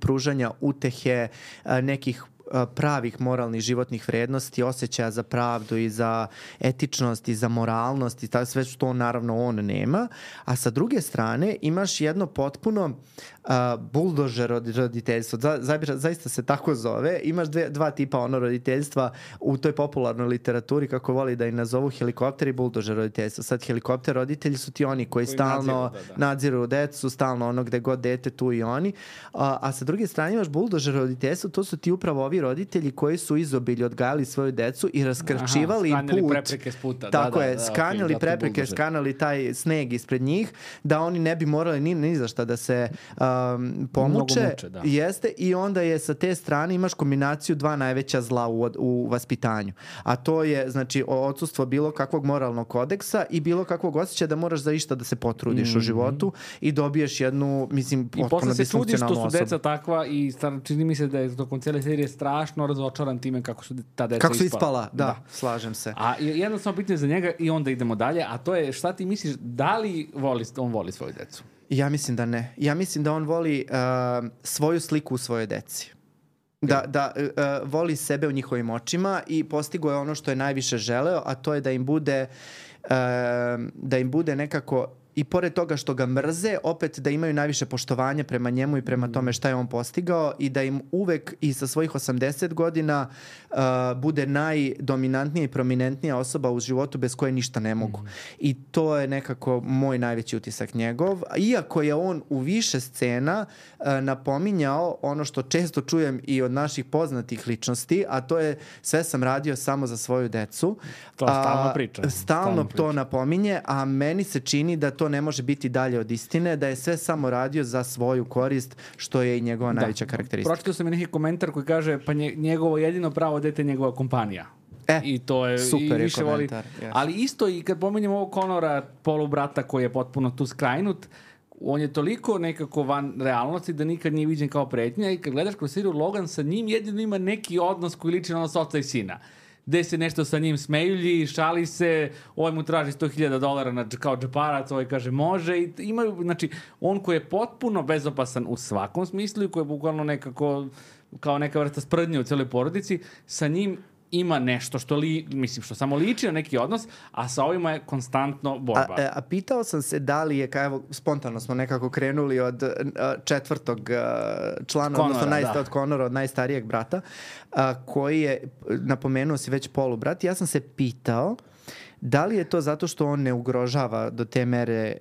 pružanja utehe, nekih pravih moralnih životnih vrednosti, osjećaja za pravdu i za etičnost i za moralnost i sve što naravno on nema. A sa druge strane imaš jedno potpuno buldožer roditeljstvo. Zaista se tako zove. Imaš dva tipa roditeljstva u toj popularnoj literaturi, kako voli da ih nazovu, helikopter i buldožer roditeljstvo. Sad helikopter roditelji su ti oni koji stalno nadziru decu, stalno gde god dete, tu i oni. A sa druge strane imaš buldožer roditeljstvo, to su ti upravo ovi roditelji koji su izobilje odgajali svoju decu i raskrčivali im put. Skanjali prepreke s puta. Tako je, skanjali prepreke, skanjali taj sneg ispred njih, da oni ne bi morali ni za šta da se pomuče. Jeste, i onda je sa te strane imaš kombinaciju dva najveća zla u vaspitanju. A to je, znači, odsustvo bilo kakvog moralnog kodeksa i bilo kakvog osjećaja da moraš za išta da se potrudiš u životu i dobiješ jednu, mislim, potpuno disfunkcionalnu osobu. I posle se čudiš što su deca takva i čini mi se da je tokom cijele serije strašno razočaran time kako su ta deca kako su ispala. Da, slažem se. A jedno samo pitanje za njega i onda idemo dalje, a to je šta ti misliš, da li on voli svoju decu? Ja mislim da ne. Ja mislim da on voli svoju sliku u svojoj deci. Da voli sebe u njihovim očima i postigo je ono što je najviše želeo, a to je da im bude nekako, i pored toga što ga mrze, opet da imaju najviše poštovanja prema njemu i prema tome šta je on postigao i da im uvek i sa svojih 80 godina bude najdominantnija i prominentnija osoba u životu bez koje ništa ne mogu. I to je nekako moj najveći utisak njegov. Iako je on u više scena napominjao ono što često čujem i od naših poznatih ličnosti, a to je sve sam radio samo za svoju decu. To stalno priča. Stalno to napominje, a meni se čini da to ne može biti dalje od istine, da je sve samo radio za svoju korist, što je i njegova najveća karakteristika. Pročitao sam i neki komentar koji kaže pa njegovo jedino pravo dete je njegova kompanija. I to je super i više je komentar. Voli. Yes. Ali isto i kad pominjem ovog Conora, polubrata koji je potpuno tu skrajnut, on je toliko nekako van realnosti da nikad nije viđen kao pretnja i kad gledaš kroz seriju Logan, sa njim jedino ima neki odnos koji liči na odnos oca i sina. Gde se nešto sa njim smejulji, šali se, ovaj mu traži $100,000 kao džeparac, ovaj kaže može i imaju, znači, on koji je potpuno bezopasan u svakom smislu i koji je bukvalno nekako kao neka vrsta sprdnje u celoj porodici, sa njim ima nešto što što samo liči na neki odnos, a sa ovima je konstantno borba. A pitao sam se da li je, evo, spontano smo nekako krenuli od četvrtog člana, Conora, odnosno od Conora, od najstarijeg brata, koji je, napomenuo si već polubrat, ja sam se pitao da li je to zato što on ne ugrožava do te mere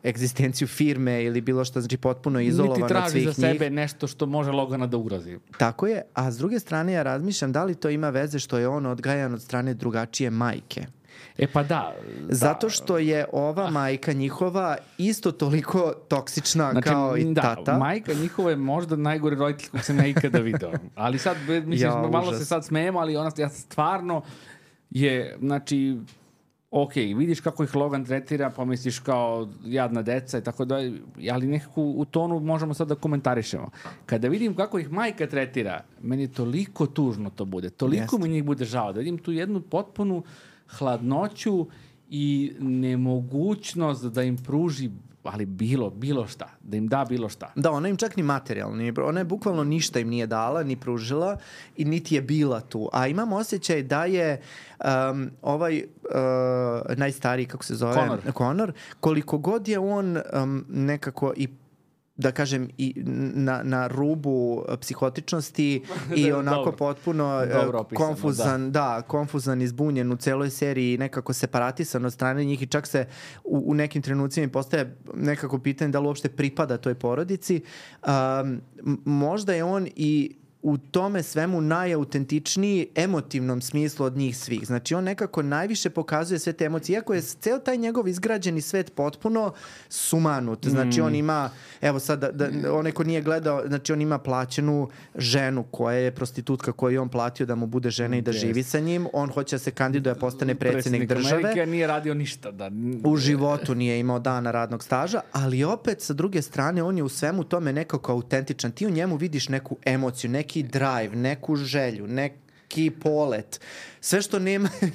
egzistenciju firme ili bilo što, znači potpuno izolovan od svih njih. Niti traži za sebe nešto što može Logana da ugrozi. Tako je, a s druge strane ja razmišljam da li to ima veze što je on odgajan od strane drugačije majke. Pa da. Zato što je ova majka njihova isto toliko toksična kao i tata. Majka njihova je možda najgori roditelj kog sam ja ikada video. Ali sad, mislim, malo se sad smijemo, ali ja stvarno je, znači, ok, vidiš kako ih Logan tretira, pa misliš kao jadna deca i tako da, ali nekako u tonu možemo sad da komentarišemo. Kada vidim kako ih majka tretira, meni toliko tužno to bude, toliko mi njih bude žao, da vidim tu jednu potpunu hladnoću i nemogućnost da im pruži ali bilo šta, da im da bilo šta. Da, ona im čak ni materijalno, ona je bukvalno ništa im nije dala, ni pružila i niti je bila tu. A imam osjećaj da je ovaj najstariji, kako se zove? Conor, koliko god je on nekako i da kažem i na rubu psihotičnosti i onako potpuno konfuzan, konfuzan, izbunjen u celoj seriji, nekako separatisan od strane njih i čak se u nekim trenucima postaje nekako pitanje da li uopšte pripada toj porodici. Možda je on i u tome svemu najautentičniji emotivnom smislu od njih svih. Znači, on nekako najviše pokazuje sve te emocije. Iako je ceo taj njegov izgrađeni svet potpuno sumanut. Znači, on ima, evo sad, onaj ko nije gledao, znači, on ima plaćenu ženu koja je prostitutka koju je on platio da mu bude žena i da živi sa njim. On hoće da se kandiduje, postane predsjednik države. Amerike, nije radio ništa. U životu nije imao dana radnog staža, ali opet, sa druge strane, on je u svemu tome nekako autentičan. Ti u njemu vidiš neku emociju, neki drive, neku želju, Ki Polet. Sve što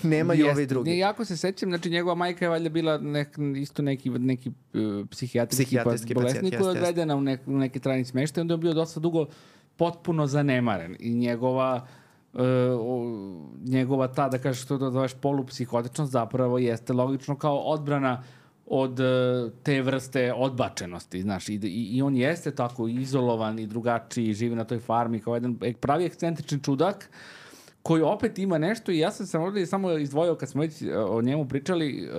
nemaju ovi drugi. Jako se sećam, znači njegova majka je valjda bila isto neki psihijatrijski bolesnik koji je odvedena u neki trajni smeštaj, onda je bio dosta dugo potpuno zanemaren i njegova ta, da kažeš što da zoveš polupsihotičnost, zapravo jeste logično kao odbrana od te vrste odbačenosti, znaš, i on jeste tako izolovan i drugačiji, živi na toj farmi kao jedan pravi ekscentrični čudak koji opet ima nešto i ja sam ovdje samo izdvojio kad smo već o njemu pričali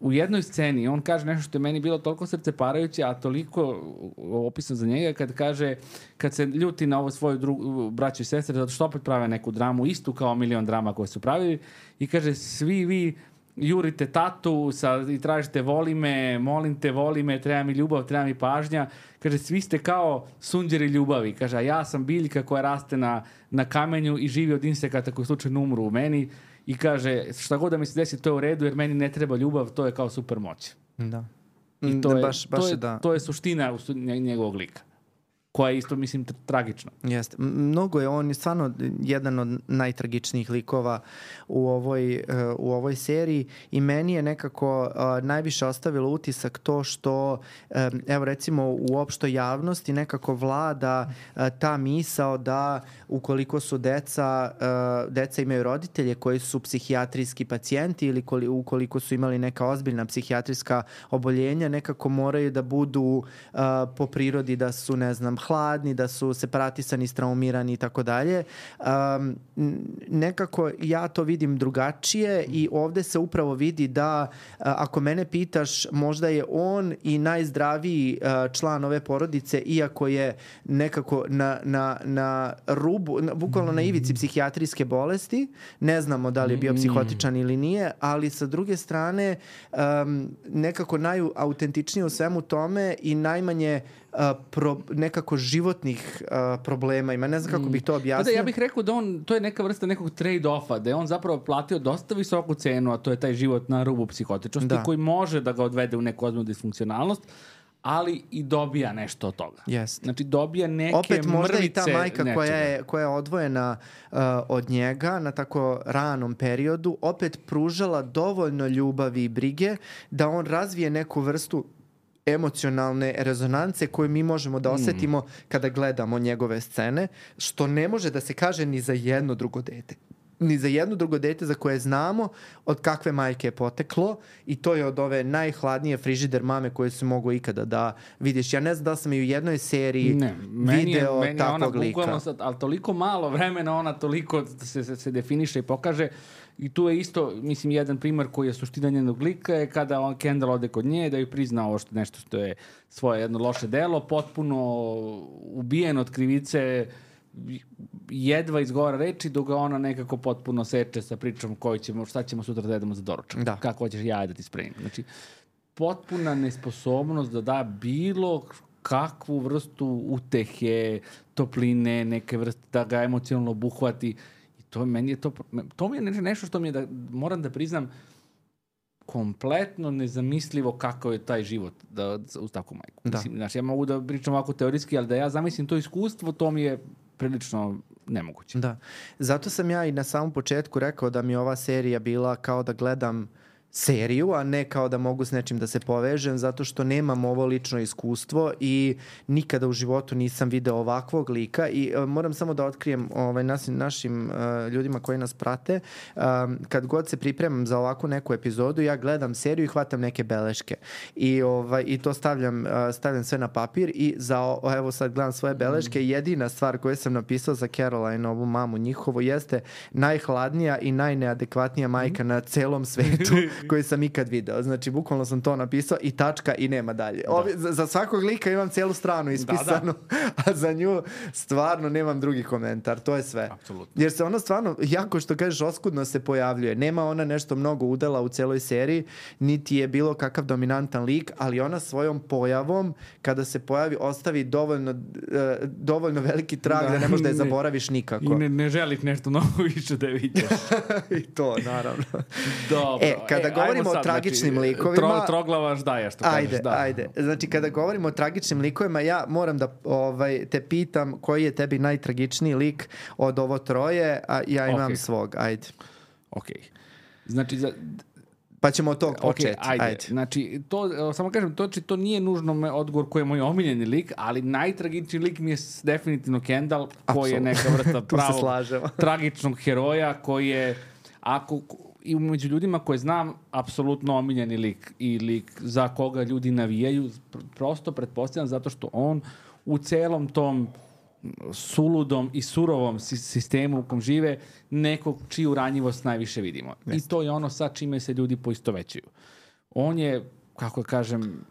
u jednoj sceni, on kaže nešto što je meni bilo toliko srceparajuće, a toliko opisano za njega, kad se ljuti na ovo svoju braću i sestre, zato što opet prave neku dramu, istu kao milion drama koje su pravili, i kaže, svi vi jurite tatu i tražite voli me, molim te, voli me, treba mi ljubav, treba mi pažnja. Kaže, svi ste kao sunđeri ljubavi. Kaže, a ja sam biljka koja raste na kamenju i živi od insekata koji slučajno umru u meni. I kaže, šta god da mi se desi, to je u redu, jer meni ne treba ljubav, to je kao super moć. Da. I to je suština njegovog lika, koja je isto, mislim, tragična. Jeste. Mnogo je on stvarno jedan od najtragičnijih likova u ovoj seriji i meni je nekako najviše ostavilo utisak to što, evo recimo u opštoj javnosti nekako vlada ta misao da ukoliko su deca imaju roditelje koji su psihijatrijski pacijenti ili ukoliko su imali neka ozbiljna psihijatrijska oboljenja, nekako moraju da budu po prirodi da su, ne znam, hladni, da su separatisani, straumirani i tako dalje. Nekako ja to vidim drugačije i ovde se upravo vidi da ako mene pitaš, možda je on i najzdraviji član ove porodice, iako je nekako na rubu, bukvalno na ivici psihijatrijske bolesti. Ne znamo da li je bio psihotičan ili nije, ali sa druge strane nekako najautentičnije u svemu tome i najmanje nekako životnih problema ima. Ne znam kako bih to objasnio. Ja bih rekao da to je neka vrsta nekog trade-offa, da je on zapravo platio dosta visoku cenu, a to je taj život na rubu psihotičnosti, koji može da ga odvede u neku ozbiljnu disfunkcionalnost, ali i dobija nešto od toga. Yes. Znači dobija neke opet možda i ta majka nečega. koja je odvojena od njega na tako ranom periodu, opet pružala dovoljno ljubavi i brige da on razvije neku vrstu emocionalne rezonance koje mi možemo da osetimo kada gledamo njegove scene, što ne može da se kaže ni za jedno drugo dete. Ni za jedno drugo dete za koje znamo od kakve majke je poteklo i to je od ove najhladnije frižider mame koje se mogu ikada da vidiš. Ja ne znam da sam i u jednoj seriji video takvog lika. Ali toliko malo vremena ona toliko se definiše i pokaže. I tu je isto, mislim, jedan primer koji je suština njenog lika je kada Kendall ode kod nje da ju prizna ovo nešto što je svoje jedno loše delo, potpuno ubijen od krivice, jedva izgovara reči dok ga ona nekako potpuno seče sa pričom šta ćemo sutra da jedemo za doručak. Da. Kako hoćeš jaje da ti spremim. Znači, potpuna nesposobnost da da bilo kakvu vrstu utehe, topline, neke vrste da ga emocionalno obuhvati. To mi je nešto što mi je, moram da priznam, kompletno nezamislivo kako je taj život uz takvu majku. Mislim, znači, ja mogu da pričam ovako teorijski, ali da ja zamislim to iskustvo, to mi je prilično nemoguće. Da. Zato sam ja i na samom početku rekao da mi ova serija bila kao da gledam seriju, a ne kao da mogu s nečim da se povežem, zato što nemam ovo lično iskustvo i nikada u životu nisam video ovakvog lika i moram samo da otkrijem našim ljudima koji nas prate, kad god se pripremam za ovakvu neku epizodu, ja gledam seriju i hvatam neke beleške i to stavljam sve na papir i evo sad gledam svoje beleške, jedina stvar koju sam napisao za Caroline, ovu mamu njihovu, jeste najhladnija i najneadekvatnija majka na celom svetu koji sam ikad video. Znači, bukvalno sam to napisao i tačka i nema dalje. Za svakog lika imam cijelu stranu ispisanu, a za nju stvarno nemam drugi komentar. To je sve. Apsolutno. Jer se ona stvarno, jako što kažeš, oskudno se pojavljuje. Nema ona nešto mnogo udela u celoj seriji, niti je bilo kakav dominantan lik, ali ona svojom pojavom, kada se pojavi, ostavi dovoljno veliki trag da ne možeš da je zaboraviš nikako. I ne želiš nešto mnogo više da vidiš. I to, naravno. Dobro. kada govorimo o tragičnim likovima... Troglava ždaja, što kažeš. Ajde. Znači, kada govorimo o tragičnim likovima, ja moram da te pitam koji je tebi najtragičniji lik od ovo troje, a ja imam svog. Ajde. Okej. Znači, pa ćemo od tog početi. Ajde. Znači, samo kažem, to nije nužno odgovor koji je moj omiljeni lik, ali najtragičniji lik mi je definitivno Kendall, koji je neka vrsta pravog tragičnog heroja, koji je, i među ljudima koje znam, apsolutno omiljeni lik i lik za koga ljudi navijaju, prosto pretpostavljam zato što on u celom tom suludom i surovom sistemu u kom žive nekog čiju ranjivost najviše vidimo. I to je ono sa čime se ljudi poistovećuju. On je, kako kažem,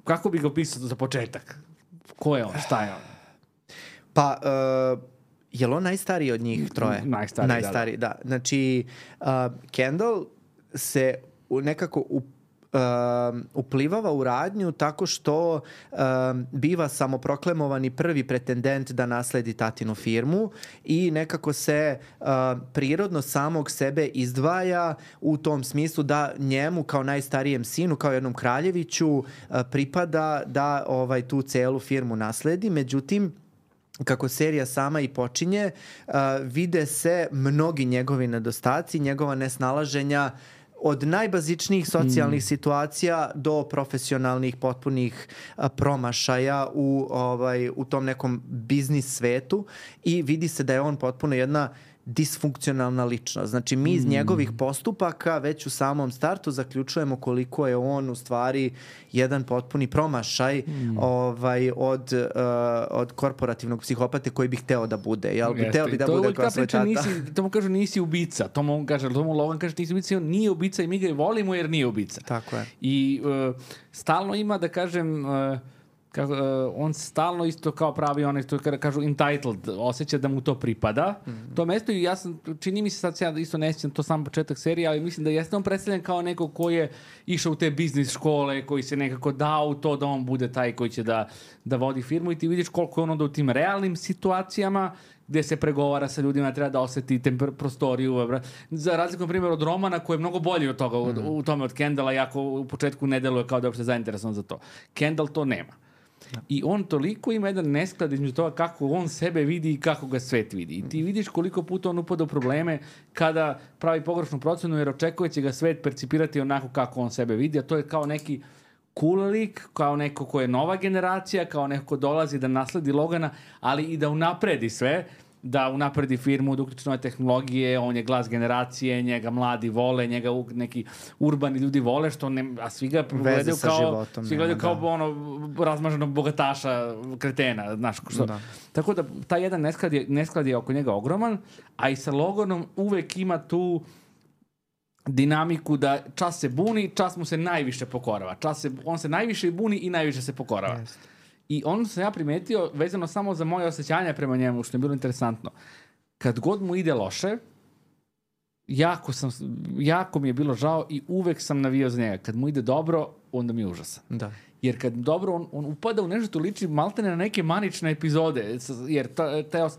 kako bi ga opisao za početak? Ko je on? Šta je on? Pa, je li on najstariji od njih troje? Najstariji, da. Znači, Kendall se nekako uplivava u radnju tako što biva samoproklamovani prvi pretendent da nasledi tatinu firmu i nekako se prirodno samog sebe izdvaja u tom smislu da njemu kao najstarijem sinu, kao jednom kraljeviću pripada da tu celu firmu nasledi. Međutim, kako serija sama i počinje, vide se mnogi njegovi nedostaci, njegova nesnalaženja od najbazičnijih socijalnih situacija do profesionalnih potpunih promašaja u tom nekom biznis svetu i vidi se da je on potpuno jedna disfunkcionalna ličnost. Znači, mi iz njegovih postupaka već u samom startu zaključujemo koliko je on u stvari jedan potpuni promašaj od korporativnog psihopate koji bi hteo da bude. Jel bi hteo bi da bude kao svoj tata? To mu kažu nisi ubica. To mu Logan kaže nisi ubica. On nije ubica i mi ga volimo jer nije ubica. Tako je. I stalno ima, da kažem... on stalno isto kao pravi onaj što kažu entitled, osjeća da mu to pripada. To mesto i ja sam, čini mi se sad ja isto ne sjećam to sam početak serije, ali mislim da jeste on predstavljen kao neko ko je išao u te biznis škole, koji se nekako dao u to da on bude taj koji će da vodi firmu i ti vidiš koliko je on onda u tim realnim situacijama gde se pregovara sa ljudima, treba da oseti prostoriju. Za razliku, na primjer, od Romana koji je mnogo bolji od toga u tome od Kendalla, jako u početku ne deluje kao da je uopšte zainteresovan za to. Kendall to nema. I on toliko ima jedan nesklad između toga kako on sebe vidi i kako ga svet vidi. I ti vidiš koliko puta on upada u probleme kada pravi pogrešnu procenu jer očekuje će ga svet percipirati onako kako on sebe vidi, a to je kao neki cool lik, kao neko ko je nova generacija, kao neko ko dolazi da nasledi Logana, ali i da unapredi sve, da unapredi firmu, da uključi nove tehnologije, on je glas generacije, njega mladi vole, njega neki urbani ljudi vole, što ne, a svi ga gledaju kao razmaženog bogataša, kretena, znaš što. Da. Tako da taj jedan nesklad je oko njega ogroman, a i sa Loganom uvek ima tu dinamiku da čas se buni, čas mu se najviše pokorava. On se najviše buni i najviše se pokorava. Yes. I ono sam ja primetio, vezano samo za moje osjećanja prema njemu, što je bilo interesantno. Kad god mu ide loše, jako mi je bilo žao i uvek sam navijao za njega. Kad mu ide dobro, onda mi je užasan. Da. Jer kad dobro, on upada u nešto što liči maltene na neke manične epizode, jer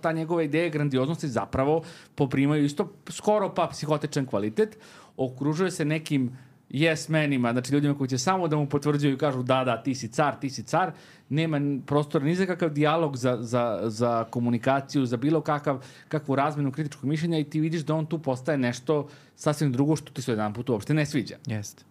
ta njegova ideja grandioznosti zapravo poprimaju isto skoro pa psihotičan kvalitet, okružuje se nekim yes menima, znači ljudima koji će samo da mu potvrđuju i kažu da, ti si car, nema prostora ni za kakav dijalog za komunikaciju, za bilo kakvu razmenu kritičkog mišljenja i ti vidiš da on tu postaje nešto sasvim drugo što ti se jedan put uopšte ne sviđa. Jeste.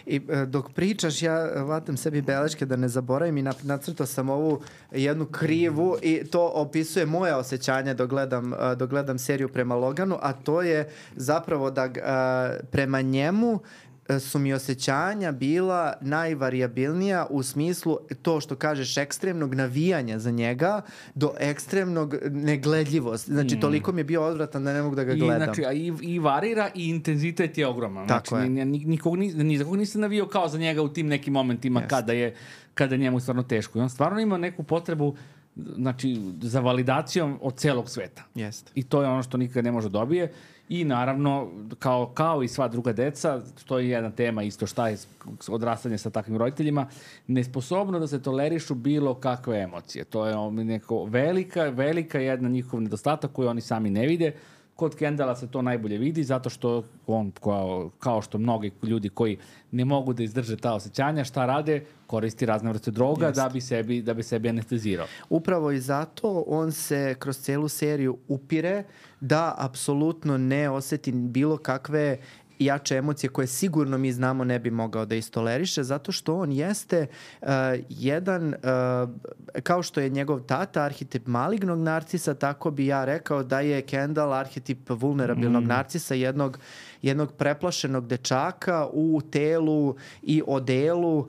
I dok pričaš, ja vatam sebi beleške da ne zaboravim i nacrtao sam ovu jednu krivu i to opisuje moje osjećanje dok gledam seriju prema Loganu, a to je zapravo da prema njemu su mi osjećanja bila najvarijabilnija u smislu to što kažeš ekstremnog navijanja za njega do ekstremnog negledljivosti. Znači, toliko mi je bio odvratan da ne mogu da ga gledam. Znači, i varira i intenzitet je ogroman. Tako znači, ni za kog nisam navijao kao za njega u tim nekim momentima kada njemu stvarno teško. I on stvarno ima neku potrebu za validacijom od celog sveta. Jest. I to je ono što nikad ne može dobije. I naravno, kao i sva druga deca, to je jedna tema isto šta je odrastanje sa takvim roditeljima, nesposobno da se tolerišu bilo kakve emocije. To je neko velika jedna njihov nedostatak koju oni sami ne vide. Kod Kendala se to najbolje vidi zato što on, kao što mnogi ljudi koji ne mogu da izdrže ta osjećanja, šta rade? Koristi razne vrste droga da bi sebi anestezirao. Upravo i zato on se kroz celu seriju upire da apsolutno ne oseti bilo kakve jače emocije koje sigurno mi znamo ne bi mogao da istoleriše, zato što on jeste jedan, kao što je njegov tata arhetip malignog narcisa, tako bi ja rekao da je Kendall arhetip vulnerabilnog narcisa, jednog preplašenog dečaka u telu i odelu,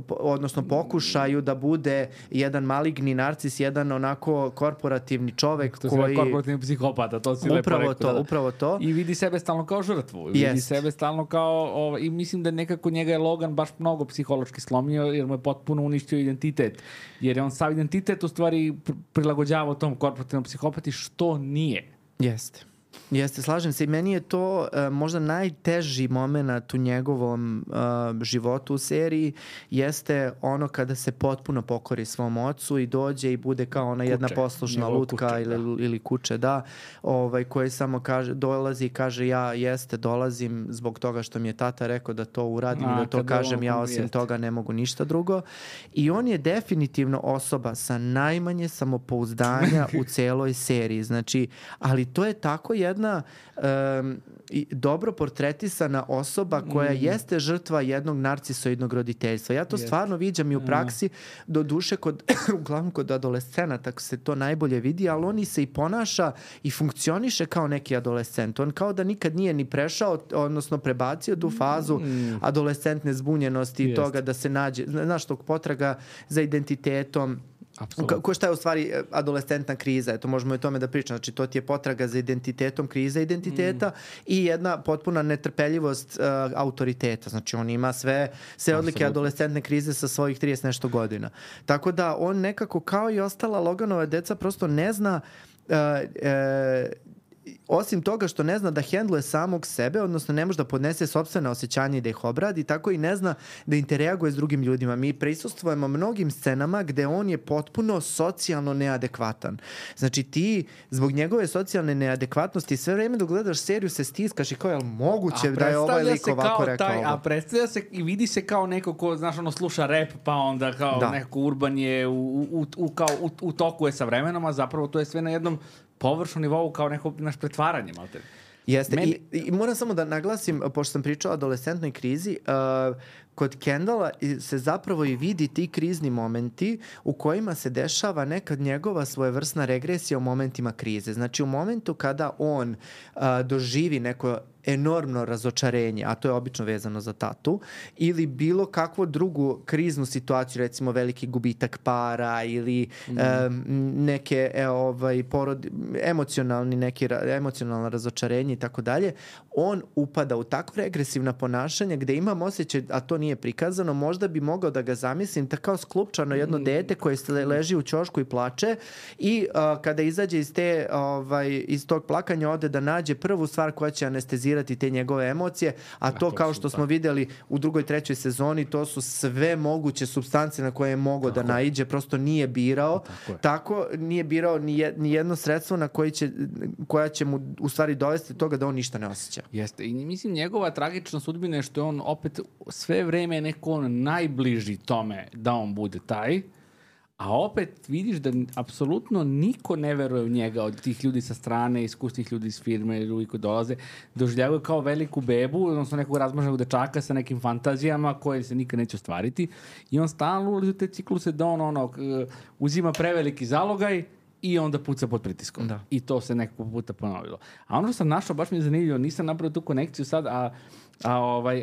odnosno pokušaju da bude jedan maligni narcis, jedan onako korporativni čovek to koji... korporativni psihopata, to si lepo rekao. Upravo to. I vidi sebe stalno kao žrtvu. Vidi sebe stalno kao... I mislim da nekako njega je Logan baš mnogo psihološki slomio jer mu je potpuno uništio identitet. Jer je on sav identitet u stvari prilagođavao tom korporativnom psihopati, što nije. Jeste, slažem se i meni je to možda najteži moment u njegovom životu u seriji jeste ono kada se potpuno pokori svom ocu i dođe i bude kao ona jedna poslušna lutka ili kuće, koji samo dolazi i kaže dolazim zbog toga što mi je tata rekao da to uradim i da to kažem, ja osim toga ne mogu ništa drugo. I on je definitivno osoba sa najmanje samopouzdanja u celoj seriji. Znači, ali to je tako jedna dobro portretisana osoba koja jeste žrtva jednog narcisoidnog roditeljstva. Ja to stvarno viđam i u praksi, do duše uglavnom kod adolescenata se to najbolje vidi, ali on se i ponaša i funkcioniše kao neki adolescent. On kao da nikad nije ni prešao, odnosno prebacio tu fazu adolescentne zbunjenosti i toga da se nađe, znaš, tog potraga za identitetom. Šta je u stvari adolescentna kriza? Eto, možemo i o tome da pričamo. Znači, to ti je potraga za identitetom, kriza identiteta i jedna potpuna netrpeljivost autoriteta. Znači, on ima sve odlike adolescentne krize sa svojih 30 nešto godina. Tako da, on nekako, kao i ostala Loganova deca, prosto ne zna... osim toga što ne zna da hendluje samog sebe, odnosno ne može da podnese sopstvene osjećanja i da ih obradi, tako i ne zna da interaguje s drugim ljudima. Mi prisustvujemo mnogim scenama gde on je potpuno socijalno neadekvatan. Znači ti, zbog njegove socijalne neadekvatnosti, sve vreme dok gledaš seriju se stiskaš i kao, je li moguće da je ovaj lik ovako rekao ovo? A predstavlja se i vidi se kao neko ko, znaš, sluša rap, pa onda kao neko urban je u toku je sa vremenom, a zapravo to je sve na jednom površnom nivou kao neko naš pretvaranje, malte. Jeste. I moram samo da naglasim, pošto sam pričao o adolescentnoj krizi, kod Kendalla se zapravo i vidi ti krizni momenti u kojima se dešava nekad njegova svojevrsna regresija u momentima krize. Znači u momentu kada on doživi neko enormno razočarenje, a to je obično vezano za tatu, ili bilo kakvu drugu kriznu situaciju, recimo veliki gubitak para ili neke emocionalno razočarenje i tako dalje, on upada u tako regresivna ponašanja gde imam osjećaj, a to nije prikazano, možda bi mogao da ga zamislim kao sklupčano jedno dete koje leži u ćošku i plače i kada izađe iz tog plakanja ode da nađe prvu stvar koja će anestezirati te njegove emocije, a to kao što smo videli u drugoj, trećoj sezoni, to su sve moguće supstance na koje je mogao da naiđe, prosto nije birao. Tako nije birao ni jedno sredstvo na koja će mu u stvari dovesti do toga da on ništa ne osjeća. Jeste. I mislim, njegova tragična sudbina je što je on opet sve vreme neko najbliži tome da on bude taj, a opet vidiš da apsolutno niko ne veruje u njega od tih ljudi sa strane, iskusnih ljudi iz firme, ljudi koji dolaze, doživljavaju kao veliku bebu, odnosno nekog razmaženog dečaka sa nekim fantazijama koje se nikad neće ostvariti i on stalno ulazi u te cikluse da on uzima preveliki zalogaj i onda puca pod pritiskom. Da. I to se nekako puta ponovilo. A ono što sam našao, baš mi je zanimljivo, nisam napravio tu konekciju sad,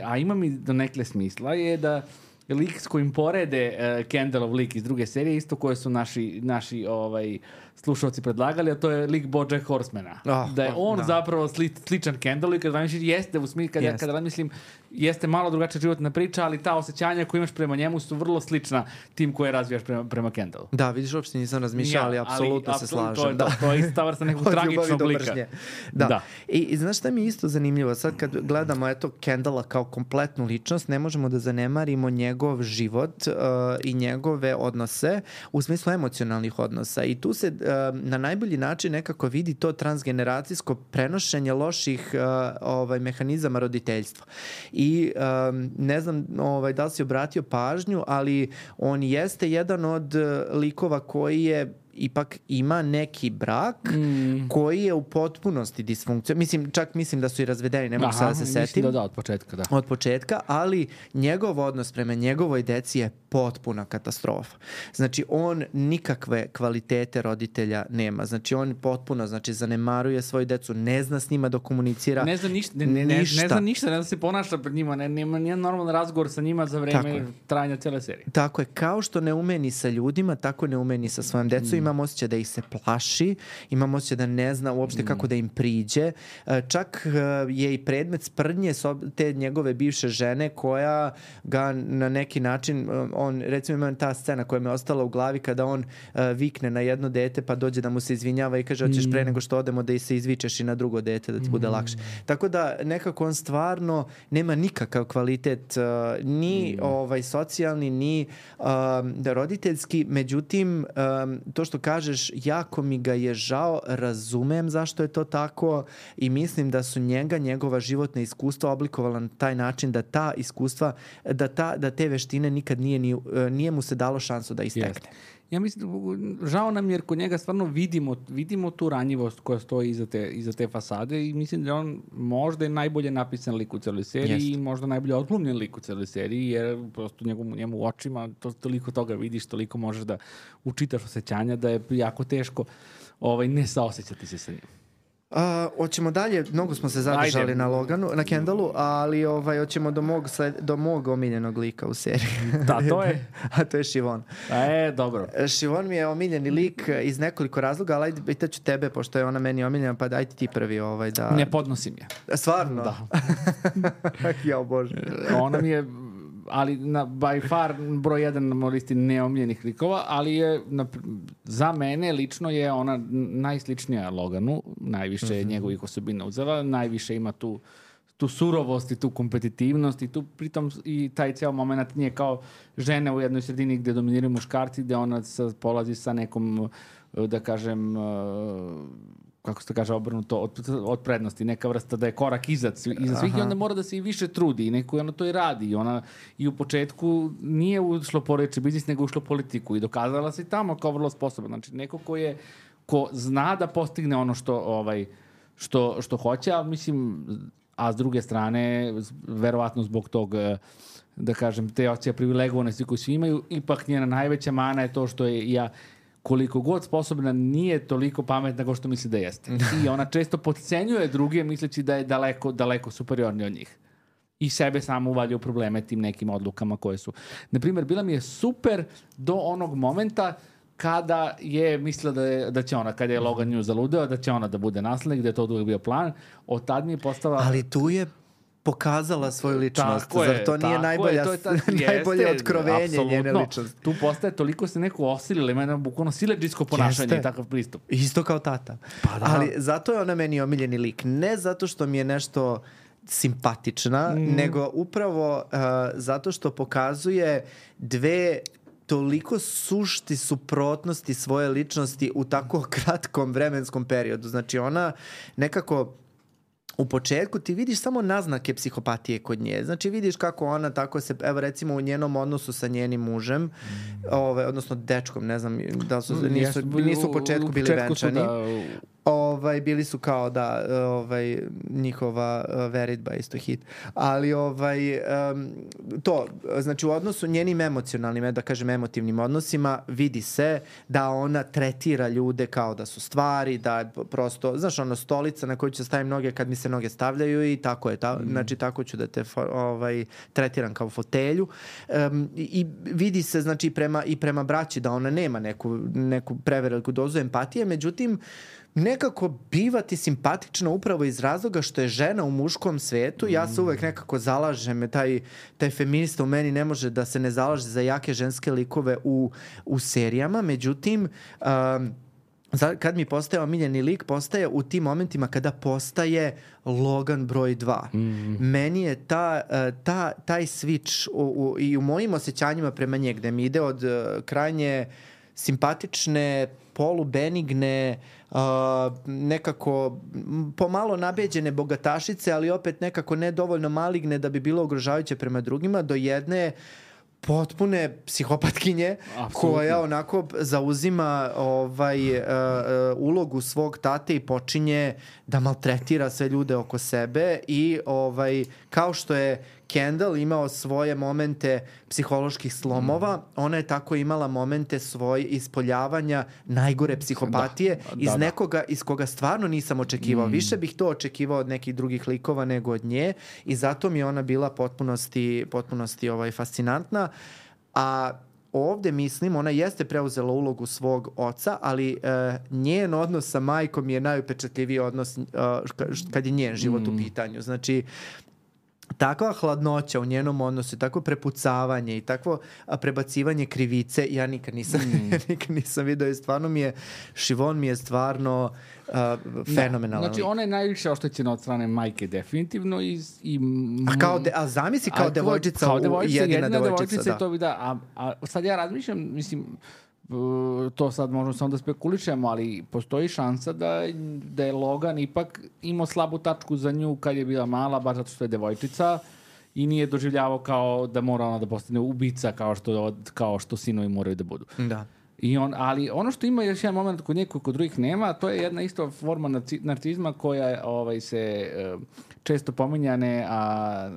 a ima mi do nekle smisla, je da lik s kojim porede Kendallov lik iz druge serije, isto koje su naši slušalci predlagali, a to je lik BoJack Horsemana. Da je on zapravo sličan Kendallu i kad razmišljam, jeste u smislu, kad razmislim, jeste malo drugačija životna priča, ali ta osjećanja koje imaš prema njemu su vrlo slična tim koje razvijaš prema Kendallu. Da, vidiš, uopšte nisam razmišljao, ali apsolutno se slažem. To je ista vrsta nekog tragičnog lika. Da. I znaš šta mi je isto zanimljivo? Sad kad gledamo Kendalla kao kompletnu ličnost, ne možemo da zanemarimo njegov život i njegove odnose u smislu emocionalnih odnosa i tu se na najbolji način nekako vidi to transgeneracijsko prenošenje loših mehanizama roditeljstva. I ne znam da li si obratio pažnju, ali on jeste jedan od likova koji je ipak ima neki brak koji je u potpunosti disfunkcija. Čak mislim da su i razvedeni, ne mogu sada da se setim. Da, od početka, da. Od početka, ali njegov odnos prema njegovoj deci je potpuna katastrofa. Znači, on nikakve kvalitete roditelja nema. Znači, on potpuno zanemaruje svoju decu, ne zna s njima da komunicira. Ne zna ništa. Ne zna ništa, ne zna se ponaša pred njima, nema nijedan normalan razgovor sa njima za vreme trajanja cele serije. Tako je, kao što ne ume ni sa ljudima, tako ne ume ni sa svojom decom. Imam osjećaj da ih se plaši, imam osjećaj da ne zna uopšte kako da im priđe. Čak je i predmet sprdnje te njegove bivše žene koja ga na neki način, on, recimo ima ta scena koja mi je ostala u glavi kada on vikne na jedno dete pa dođe da mu se izvinjava i kaže hoćeš pre nego što odemo da se izvičeš i na drugo dete da ti bude lakše. Tako da nekako on stvarno nema nikakav kvalitet ni socijalni, ni roditeljski. Međutim, to što kažeš, jako mi ga je žao, razumem zašto je to tako i mislim da su njegova životna iskustva oblikovala na taj način da ta iskustva, da te veštine nikad nije mu se dalo šansu da istekne. Ja mislim, žao nam jer kod njega stvarno vidimo tu ranjivost koja stoji iza te fasade i mislim da on možda je najbolje napisan lik u celoj seriji i možda najbolje odglumljen lik u celoj seriji jer prosto njemu u očima toliko toga vidiš, toliko možeš da učitaš osjećanja da je jako teško ne saosećati se sa njim. Hoćemo dalje, mnogo smo se zadržali na Loganu, na Kendalu, ali hoćemo do mog omiljenog lika u seriji. Da, to je? A to je Siobhan. Dobro. Siobhan mi je omiljeni lik iz nekoliko razloga, ali ajde pitaću tebe, pošto je ona meni omiljena, pa dajte ti prvi da... Ne podnosim je. Stvarno? Da. Jao Bože. Ona mi je... ali by far broj 1 na listi neomiljenih likova, ali je za mene lično je ona najsličnija Loganu, najviše je njegovih osobina uzela, najviše ima tu surovost i tu kompetitivnost i tu pritom i taj ceo moment nije kao žene u jednoj sredini gde dominiraju muškarci, gde ona polazi sa nekom, da kažem, kako se to kaže, obrnuto od prednosti, neka vrsta da je korak iza svih i onda mora da se i više trudi i neko ona to i radi i ona i u početku nije ušlo poreče biznis nego ušlo politiku i dokazala se i tamo kao vrlo sposobna. Znači neko ko zna da postigne ono što hoće, a mislim, a s druge strane verovatno zbog tog, da kažem, te osjećaja privilegovanosti koju svi imaju, ipak njena najveća mana je to što je koliko god sposobna nije toliko pametna kao što misli da jeste. I ona često potcenjuje druge misleći da je daleko, daleko superiornija od njih. I sebe samo uvalja u probleme tim nekim odlukama koje su. Naprimjer, bila mi je super do onog momenta kada je mislila da će ona, kada je Logan nju zaludeo, da će ona da bude naslednik, da je to uvijek bio plan. Od tad mi je postala... Ali tu je pokazala svoju ličnost. Zar to nije najbolje otkrovenje njene ličnosti? Tu postaje, toliko se neko osilila, ima jedno bukvalno siledžijsko ponašanje i takav pristup. Isto kao tata. Pa da. Ali zato je ona meni omiljeni lik. Ne zato što mi je nešto simpatična, nego upravo zato što pokazuje dve toliko sušti suprotnosti svoje ličnosti u tako kratkom vremenskom periodu. Znači ona nekako u početku ti vidiš samo naznake psihopatije kod nje. Znači vidiš kako ona tako se, evo recimo u njenom odnosu sa njenim mužem, odnosno dečkom, ne znam, da su, nisu u početku bili venčani. Bili su kao da njihova veritba isto hit. Ali to, znači u odnosu njenim emocionalnim, da kažem emotivnim odnosima, vidi se da ona tretira ljude kao da su stvari, da prosto, znaš, ono stolica na koju ću staviti noge kad mi se noge stavljaju i tako je. Znači tako ću da te tretiram kao fotelju. I vidi se, znači i prema braći da ona nema neku preveliku dozu empatije, međutim nekako biva ti simpatična upravo iz razloga što je žena u muškom svetu. Ja se uvek nekako zalažem, taj feminista u meni ne može da se ne zalaže za jake ženske likove u serijama, međutim kad mi postaje omiljeni lik, postaje u tim momentima kada postaje Logan broj 2. Meni je taj switch i u mojim osjećanjima prema nje, gde mi ide od krajnje simpatične, polubenigne, nekako pomalo nabeđene bogatašice, ali opet nekako nedovoljno maligne da bi bilo ugrožavajuće prema drugima, do jedne potpune psihopatkinje. Absolutno. Koja onako zauzima ulogu svog tate i počinje da maltretira sve ljude oko sebe i kao što je Kendall imao svoje momente psiholoških slomova, ona je tako imala momente svoje ispoljavanja najgore psihopatije iz nekoga iz koga stvarno nisam očekivao. Više bih to očekivao od nekih drugih likova nego od nje i zato mi je ona bila potpunosti fascinantna. A ovde mislim, ona jeste preuzela ulogu svog oca, ali njen odnos sa majkom je najupečatljiviji odnos kad je njen život u pitanju. Znači, takva hladnoća u njenom odnosu, takvo prepucavanje i takvo prebacivanje krivice, ja nikad nisam vidio i stvarno Siobhan mi je stvarno fenomenalan. Znači, ona je najviše oštećena od strane majke, definitivno. A zamisli kao devojčica, jedina devojčica, da. A sad ja razmišljam, mislim, to sad možemo samo da spekulišemo, ali postoji šansa da je Logan ipak imao slabu tačku za nju kad je bila mala, baš zato što je devojčica i nije doživljavao kao da mora ona da postane ubica kao što sinovi moraju da budu. Da. Ali ono što ima još jedan moment kod nje koji kod drugih nema, to je jedna isto forma narcizma koja se često pominjane, a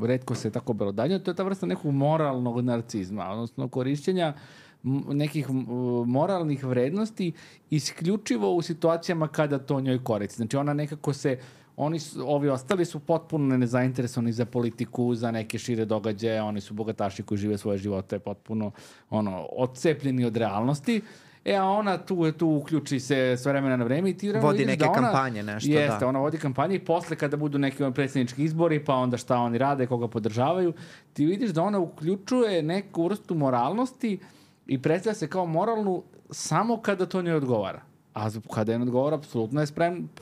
retko se tako belodanje. To je ta vrsta nekog moralnog narcizma, odnosno korišćenja nekih moralnih vrednosti isključivo u situacijama kada to njoj koristi. Znači ona nekako ovi ostali su potpuno nezainteresovani za politiku, za neke šire događaje, oni su bogataši koji žive svoje živote potpuno odcepljeni od realnosti. A ona tu uključi se s vremena na vreme i ti vodi neke kampanje, nešto. Jeste, ona vodi kampanje i posle kada budu neki predsjednički izbori, pa onda šta oni rade, koga podržavaju, ti vidiš da ona uključuje neku vrstu moralnosti i predstavlja se kao moralnu samo kada to njoj odgovara. A kada je odgovara, apsolutno je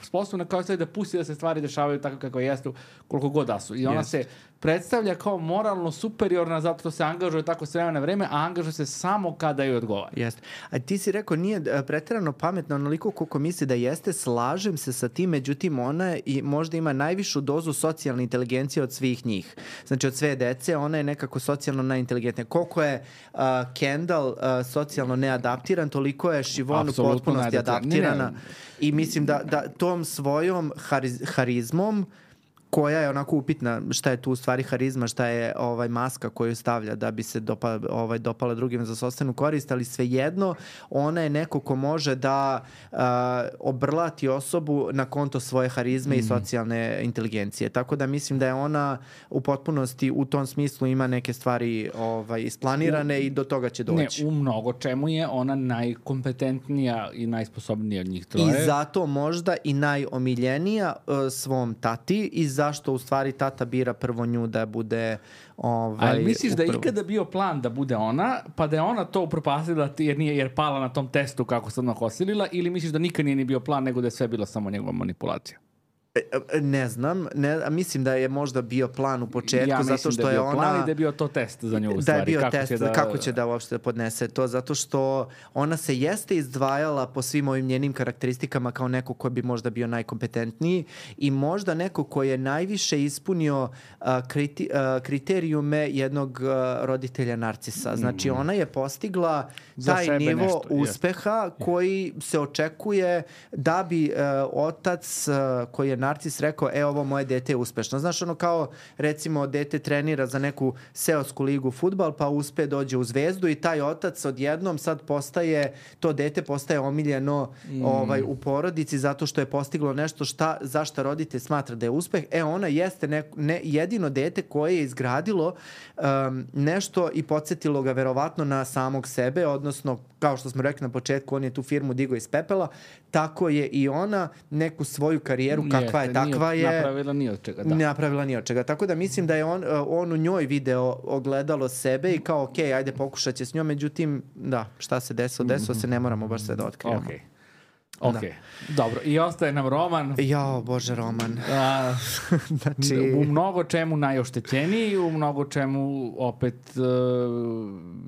sposobna kao da pusti da se stvari dešavaju tako kako jesu, koliko god da su. I ona se predstavlja kao moralno superiorna zato što se angažuje tako s vremena na vreme, a angažuje se samo kada joj odgovara. Jeste. A ti si rekao nije preterano pametna onoliko koliko misli da jeste, slažem se sa tim, međutim ona možda ima najvišu dozu socijalne inteligencije od svih njih. Znači od sve dece ona je nekako socijalno najinteligentnija. Koliko je Kendall socijalno neadaptiran, toliko je Siobhan u potpunosti adaptirana. I mislim da tom svojom harizmom koja je onako upitna, šta je tu u stvari harizma, šta je maska koju stavlja da bi se dopala drugim za sopstvenu korist, ali svejedno ona je neko ko može da obrlati osobu na konto svoje harizme i socijalne inteligencije. Tako da mislim da je ona u potpunosti u tom smislu ima neke stvari isplanirane i do toga će doći. Ne, u mnogo čemu je ona najkompetentnija i najsposobnija od njih troje. I zato možda i najomiljenija svom tati i zašto u stvari tata bira prvo nju da bude ali misliš da je ikada bio plan da bude ona, pa da je ona to upropastila jer pala na tom testu kako se odmah osilila, ili misliš da nikad nije ni bio plan nego da je sve bila samo njegova manipulacija? Ne znam, mislim da je možda bio plan u početku, zato što je ona... Ja mislim da je bio plan i da je bio to test za nju u stvari. Da je bio test, kako će da uopšte podnese to, zato što ona se jeste izdvajala po svim ovim njenim karakteristikama kao neko ko bi možda bio najkompetentniji i možda neko ko je najviše ispunio kriterijume jednog roditelja narcisa. Znači ona je postigla taj nivo uspeha koji se očekuje da bi otac koji je narcis rekao, ovo moje dete je uspešno. Znaš, ono kao, recimo, dete trenira za neku seosku ligu fudbal, pa uspe dođe u Zvezdu i taj otac odjednom sad to dete postaje omiljeno u porodici zato što je postiglo nešto za šta roditelj smatra da je uspeh. Ona jeste jedino dete koje je izgradilo nešto i podsjetilo ga verovatno na samog sebe, odnosno, kao što smo rekli na početku, on je tu firmu digao iz pepela, tako je i ona neku svoju karijeru kakva je, takva je. Napravila ni od čega, da. Napravila ni od čega. Tako da mislim da je on u njoj video ogledalo sebe i kao, ajde pokušat će s njom, međutim, da, šta se desilo se, ne moramo baš sve da otkrivamo. Ok, dobro. I ostaje nam Roman. Jao, Bože, Roman. Znači... U mnogo čemu najoštećeniji, u mnogo čemu opet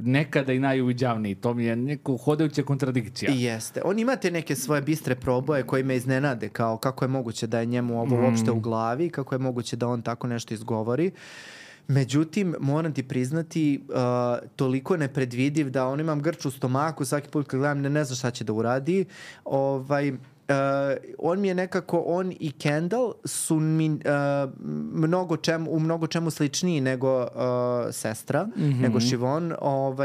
nekada i najuviđavniji. To mi je neko hodajuća kontradikcija. Jeste. On ima te neke svoje bistre proboje koje me iznenade, kao kako je moguće da je njemu ovo uopšte u glavi, kako je moguće da on tako nešto izgovori. Međutim, moram ti priznati, toliko nepredvidiv da on imam grč u stomaku, svaki put kad gledam ne znam šta će da uradi. On mi je nekako, on i Kendall su mi u mnogo čemu sličniji nego sestra, nego Siobhan.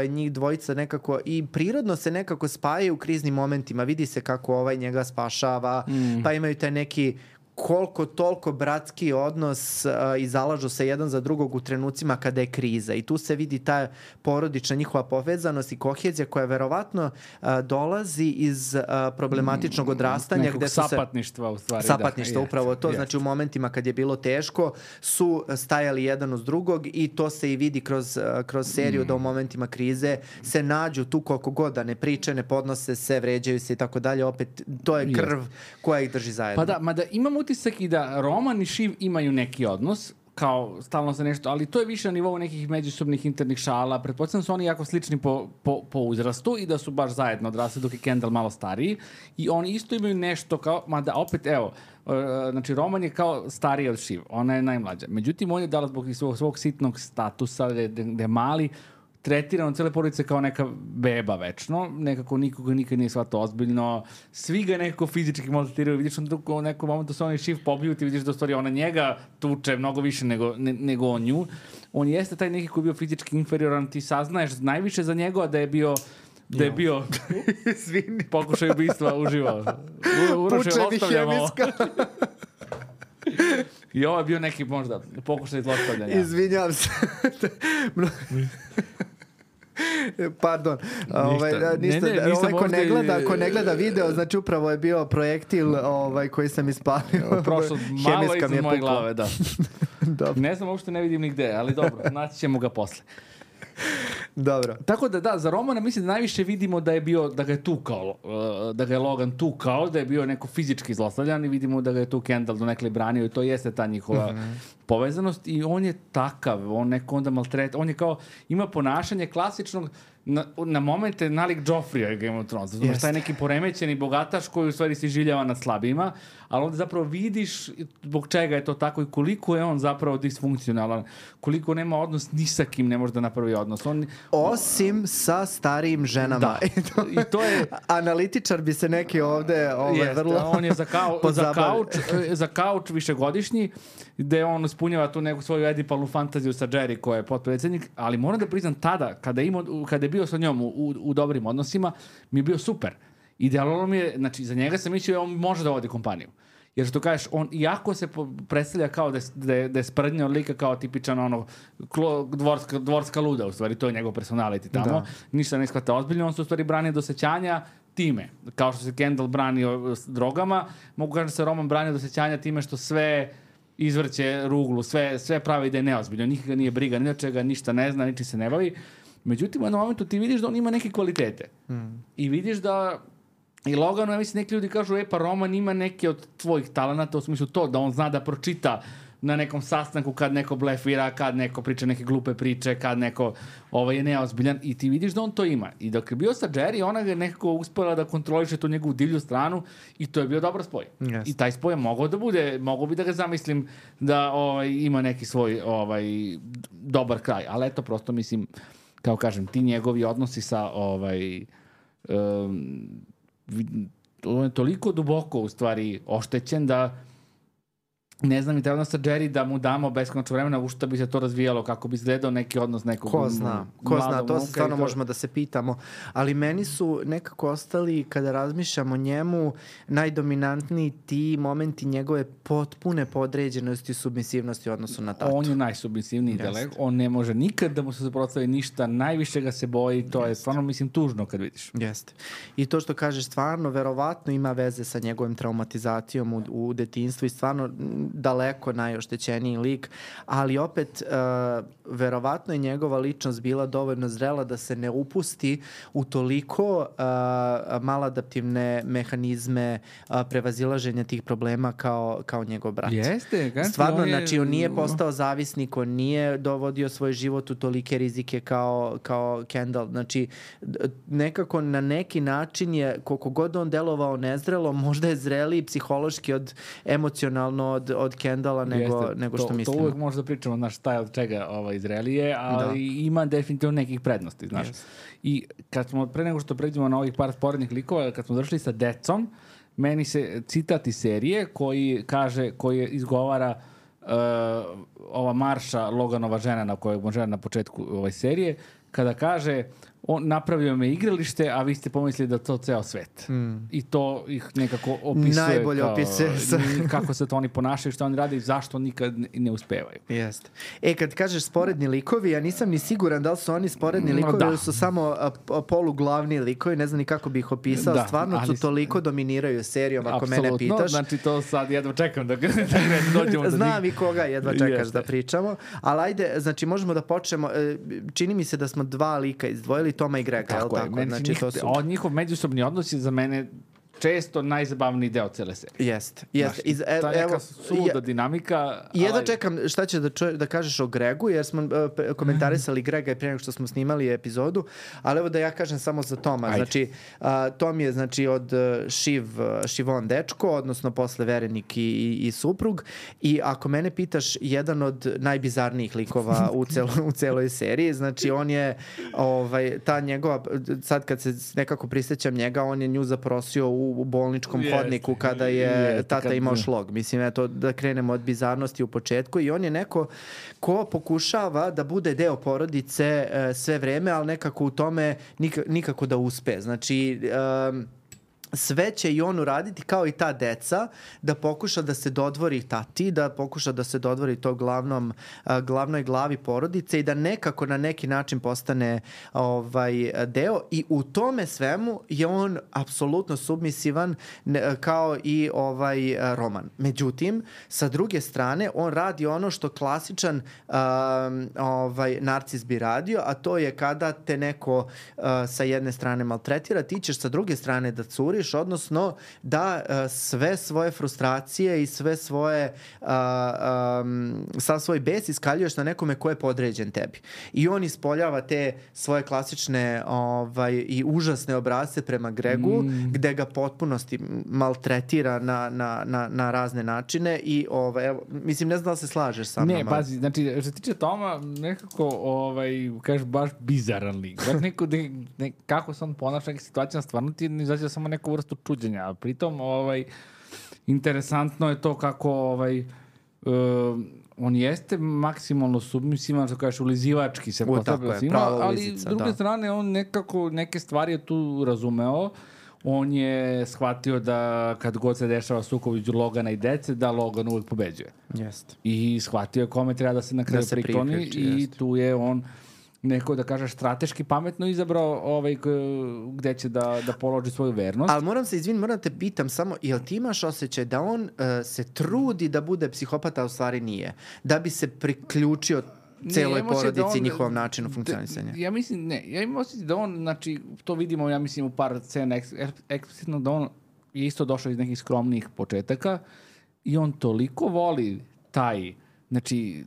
Njih dvojica nekako i prirodno se nekako spajaju u kriznim momentima. Vidi se kako njega spašava, pa imaju taj neki koliko toliko bratski odnos i zalažu se jedan za drugog u trenucima kada je kriza. I tu se vidi ta porodična njihova povezanost i kohezija koja verovatno dolazi iz problematičnog odrastanja. Nekog sapatništva u stvari. Sapatništva, upravo to. Znači u momentima kad je bilo teško su stajali jedan uz drugog i to se i vidi kroz seriju da u momentima krize se nađu tu koliko god da ne priče, ne podnose se, vređaju se i tako dalje. Opet to je krv koja ih drži zajedno. Pa da, mada imam utisak i da Roman i Shiv imaju neki odnos, kao stalno za nešto, ali to je više na nivou nekih međusobnih internih šala. Pretpostavljam su oni jako slični po uzrastu i da su baš zajedno odrasli dok je Kendall malo stariji i oni isto imaju nešto kao, mada opet evo, znači Roman je kao stariji od Shiv, ona je najmlađa. Međutim, on je dala zbog svog sitnog statusa, da je mali, tretirano cele porodice kao neka beba večno, nekako nikoga nikad nije shvatao ozbiljno, svi ga nekako fizički maltretiraju, vidiš u nekom momentu se on i Shiv pobiju, ti vidiš da u stvari ona njega tuče mnogo više nego on nju. On jeste taj neki koji je bio fizički inferioran, ti saznaješ najviše za njega da je bio pokušaj ubistva uživo. Pučevi hemiska. I ovo je bio neki možda pokušaj zlostavljanja. Izvinjam se. Pardon. Ko ne gleda video, znači upravo je bio projektil koji sam ispalio. Prošlo malo iznad moje glave, da. Ne znam, uopšte ne vidim nigde, ali dobro, naći ćemo ga posle. Dobro. Tako da, za Romana mislim da najviše vidimo da je bio, da ga je tukao, da ga je Logan tukao, da je bio neko fizički zlostavljan i vidimo da ga je tu Kendall donekle branio i to jeste ta njihova povezanost i on je takav, on neko onda maltret, on je kao, ima ponašanje klasičnog, na momente nalik Joffrija Game of Thrones. Znači, taj neki poremećeni bogataš koji u stvari se življava nad slabijima, ali onda zapravo vidiš zbog čega je to tako i koliko je on zapravo disfunkcionalan, koliko nema odnos ni sa kim ne može da napravi odnos. Osim sa starijim ženama. Da. I to je... Analitičar bi se neki ovde vrlo... On je za kauč višegodišnji, gde on ispunjava tu neku svoju edipalnu fantaziju sa Jerry koja je potpredsjednik, ali moram da priznam tada, kada je bio sa njom u dobrim odnosima, mi je bio super. Idealno mi je, znači za njega sam mislio da on može da vodi kompaniju. Jer što kažeš, on iako se predstavlja kao da je sprdnja od lika kao tipičan dvorska luda, u stvari to je njegov personality tamo, ništa ne shvata ozbiljno, on se u stvari brani do sećanja time. Kao što se Kendall branio s drogama, mogu kažem da se Roman branio do sećanja time što sve izvrće ruglu, sve pravi da je neozbiljno, nikada nije briga, ni od čega, ništa ne zna, ničim se ne bavi. Međutim, u jednom momentu ti vidiš da on ima neke kvalitete. I vidiš da i Loganu, ja mislim, neki ljudi kažu, pa Roman ima neke od tvojih talenata, u smislu to, da on zna da pročita na nekom sastanku kad neko blefira, kad neko priča neke glupe priče, kad neko je neozbiljan i ti vidiš da on to ima. I dok je bio sa Jerry, ona ga je nekako uspela da kontroliše tu njegovu divlju stranu i to je bio dobar spoj. Yes. I taj spoj je mogao bi da ga zamislim da ima neki svoj dobar kraj. Ali eto, prosto mislim, kao kažem, ti njegovi odnosi sa on je toliko duboko u stvari oštećen da ne znam i treba sa Jerry da mu damo beskonačno vremena u što bi se to razvijalo, kako bi izgledao neki odnos nekog Ko zna, to se stvarno možemo da se pitamo. Ali meni su nekako ostali, kada razmišljam o njemu, najdominantniji ti momenti njegove potpune podređenosti i submisivnosti u odnosu na tatu. On je najsubmisivniji delek, on ne može nikad da mu se suprotstavi ništa, najviše ga se boji, to je stvarno, mislim, tužno kad vidiš. Jeste. I to što kažeš, stvarno, verovatno ima veze sa njegovim traumatizacijom u detinjstvu i stvarno daleko najoštećeniji lik, ali opet verovatno je njegova ličnost bila dovoljno zrela da se ne upusti u toliko maladaptivne mehanizme prevazilaženja tih problema kao njegov brat. Jeste, stvarno, znači on nije postao zavisnik, on nije dovodio svoj život u tolike rizike kao Kendall. Znači, nekako na neki način je, koliko god on delovao nezrelo, možda je zreliji psihološki emocionalno od Kendalla nego što mislimo. To uvek možda pričamo, znaš, šta je od čega zrelije, ali ima definitivno nekih prednosti, znaš. I kad smo, pre nego što pređemo na ovih par sporednih likova, kad smo završili sa decom, meni se citat iz serije koji izgovara ova Marša, Loganova žena na kojoj on žena na početku ove serije, kada kaže on napravio me igralište, a vi ste pomislili da to ceo svet. I to ih nekako opisuje. Najbolje opisuje. Kako se to oni ponašaju, šta oni rade i zašto nikad ne uspevaju. Jeste. Kad kažeš sporedni likovi, ja nisam ni siguran da li su oni sporedni likovi ili su samo poluglavni likovi, ne znam ni kako bih ih opisao. Stvarno su toliko dominiraju serijom, ako mene pitaš. Znači to sad jedva čekam da dođemo do Znam i koga jedva čekaš da pričamo. Ali ajde, znači možemo da počnemo. Čini mi se da smo dva lika izdvojili, Toma i Grega. Tako je. Znači, njihov međusobni odnos je za mene često najzabavniji deo cele serije. Jeste. Ta neka suluda dinamika. Jedva čekam šta će da kažeš o Gregu, jer smo komentarisali Grega prije nego što smo snimali epizodu, ali evo da ja kažem samo za Toma. Ajde. Znači, Tom je od Šivon dečko, odnosno posle verenik i suprug, i ako mene pitaš, jedan od najbizarnijih likova u celoj seriji. Znači, on je ta njegova, sad kad se nekako prisjećam njega, on je nju zaprosio u bolničkom hodniku kada je tata imao šlog. Mislim, eto, da krenemo od bizarnosti u početku, i on je neko ko pokušava da bude deo porodice sve vreme, ali nekako u tome nikako da uspe. Znači, sve će i on uraditi kao i ta deca, da pokuša da se dodvori tati, da pokuša da se dodvori to glavnoj glavi porodice i da nekako na neki način postane deo, i u tome svemu je on apsolutno submisivan kao i Roman. Međutim, sa druge strane, on radi ono što klasičan narcis bi radio, a to je kada te neko sa jedne strane maltretira, ti ćeš sa druge strane da curi, odnosno da sve svoje frustracije i sve svoje sav svoj bes iskaljuješ na nekome ko je podređen tebi. I on ispoljava te svoje klasične i užasne obrazce prema Gregu, gde ga potpunosti maltretira na razne načine i mislim, ne znam da li se slažeš sa mnom. Ne, pazi, znači, što se tiče Toma, nekako, kažeš, baš bizaran lik. Baš kako se on ponaša neka situacija, stvarno ti ne izađe samo neku vrstu čuđenja, a pritom interesantno je to kako on jeste maksimalno submisivan, što kažeš, ulizivački se postavlja svima, ali s druge strane on nekako neke stvari je tu razumeo. On je shvatio da kad god se dešava sukob između Logana i dece, da Logan uvijek pobeđuje. Jeste. I shvatio je kome treba da se na kraju prikloni i tu je on neko, da kažeš, strateški pametno izabrao gde će da položi svoju vernost. Ali moram da te pitam samo, jel ti imaš osjećaj da on se trudi da bude psihopata, a u stvari nije? Da bi se priključio celoj porodici i njihovom načinu funkcionisanja? Ja mislim, ja imam osjećaj da on, znači, to vidimo, ja mislim, u par scena eksplicitno, da on je isto došao iz nekih skromnih početaka i on toliko voli taj, znači,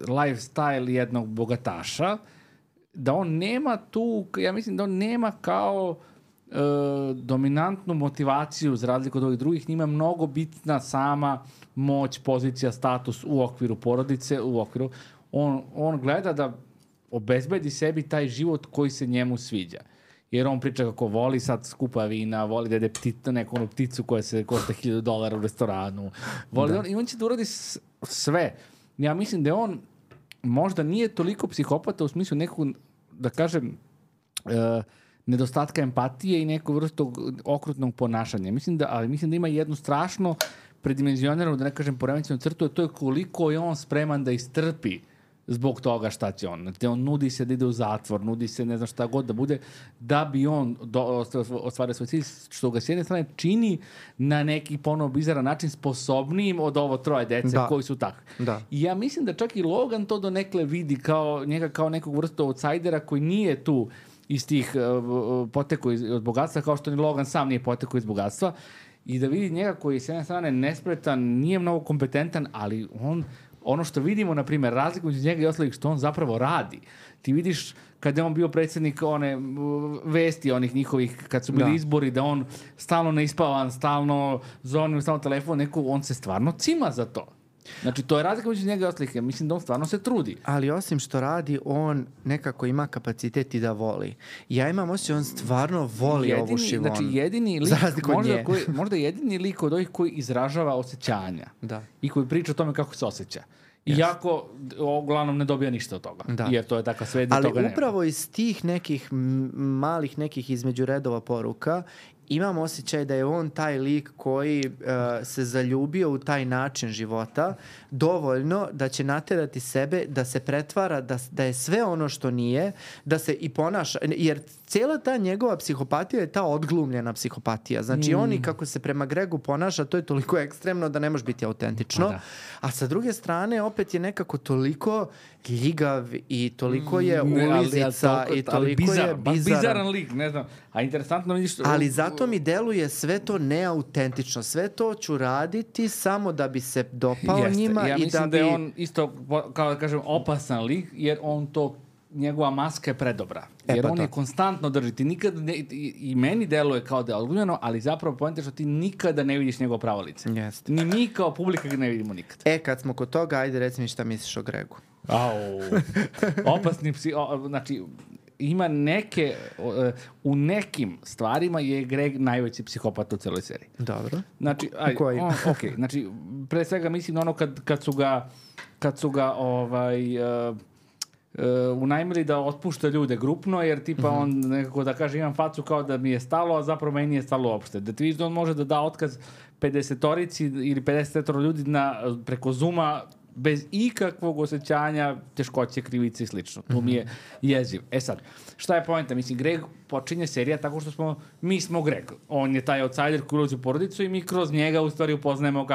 lifestyle jednog bogataša, da on nema tu, ja mislim da on nema kao dominantnu motivaciju za razliku od ovih drugih, njima je mnogo bitna sama moć, pozicija, status u okviru porodice, on gleda da obezbedi sebi taj život koji se njemu sviđa. Jer on priča kako voli sad skupa vina, voli da jede neku pticu koja se košta $1,000 u restoranu. I on će da uradi sve. Ja mislim da on možda nije toliko psihopata u smislu nekog, da kažem, nedostatka empatije i neku vrstu okrutnog ponašanja. Ali mislim da ima jednu strašno predimenzioniranu, da ne kažem, poremećenu crtu, a to je koliko je on spreman da istrpi zbog toga šta će on. On nudi se da ide u zatvor, nudi se ne znam šta god da bude, da bi on ostvario svoj cilj, što ga s jedne strane čini na neki ponovo bizaran način sposobnijim od ovo troje dece koji su takvi. I ja mislim da čak i Logan to donekle vidi njega kao nekog vrstu outsidera koji nije tu iz tih potekao od bogatstva, kao što ni Logan sam nije potekao iz bogatstva, i da vidi njega koji je s jedne strane nespretan, nije mnogo kompetentan, ali ono što vidimo, na primjer, razliku među njega i ostalih, što on zapravo radi. Ti vidiš kada je on bio predsjednik one vesti, onih njihovih, kad su bili izbori, da on stalno neispavan, stalno zovnim, stalno telefon, on se stvarno cima za to. Znači, to je razlika među njega i ostalih. Ja mislim da on stvarno se trudi. Ali osim što radi, on nekako ima kapacitet i da voli. Ja imam osjećaj, on stvarno voli ovu Siobhan. Znači, jedini lik, možda jedini lik od ovih koji izražava osjećanja. I koji priča o tome kako se osjeća. Iako, uglavnom, ne dobija ništa od toga. Jer to je takva sve, da toga nema. Ali upravo iz tih nekih malih nekih između redova poruka imam osjećaj da je on taj lik koji se zaljubio u taj način života dovoljno da će naterati sebe da se pretvara, da je sve ono što nije, da se i ponaša. Jer cijela ta njegova psihopatija je ta odglumljena psihopatija. Znači on i kako se prema Gregu ponaša, to je toliko ekstremno da ne može biti autentično. A sa druge strane opet je nekako toliko ljigav i toliko je ulizica i toliko je bizaran lik, ne znam. A interesantno vidiš... Ali zato mi deluje sve to neautentično. Sve to ću raditi samo da bi se dopao njima. Ja mislim da je on isto, kao da kažem, opasan lik, jer on to, njegova maska je predobra. Jer on je konstantno držiti. Nikad i meni deluje kao da je odgledano, ali zapravo poenta je što ti nikada ne vidiš njegovo pravo lice. Ni mi kao publika ga ne vidimo nikad. Kad smo kod toga, ajde reci mi šta misliš o Gregu. Opasni znači, ima neke, u nekim stvarima je Greg najveći psihopat u celoj seriji. Dobro. Znači, znači, pre svega mislim na ono kad su ga unajmili da otpušta ljude grupno, jer tipa on nekako da kaže imam facu kao da mi je stalo, a zapravo meni nije stalo uopšte. Da ti vidiš da on može da da otkaz 50-torici ili 50 ljudi preko Zooma bez ikakvog osjećanja teškoće, krivice i slično. To mi je jeziv. Sad, šta je poenta? Mislim, Greg počinje serija tako što mi smo Greg. On je taj outsider koji ulazi u porodicu i mi kroz njega u stvari upoznajemo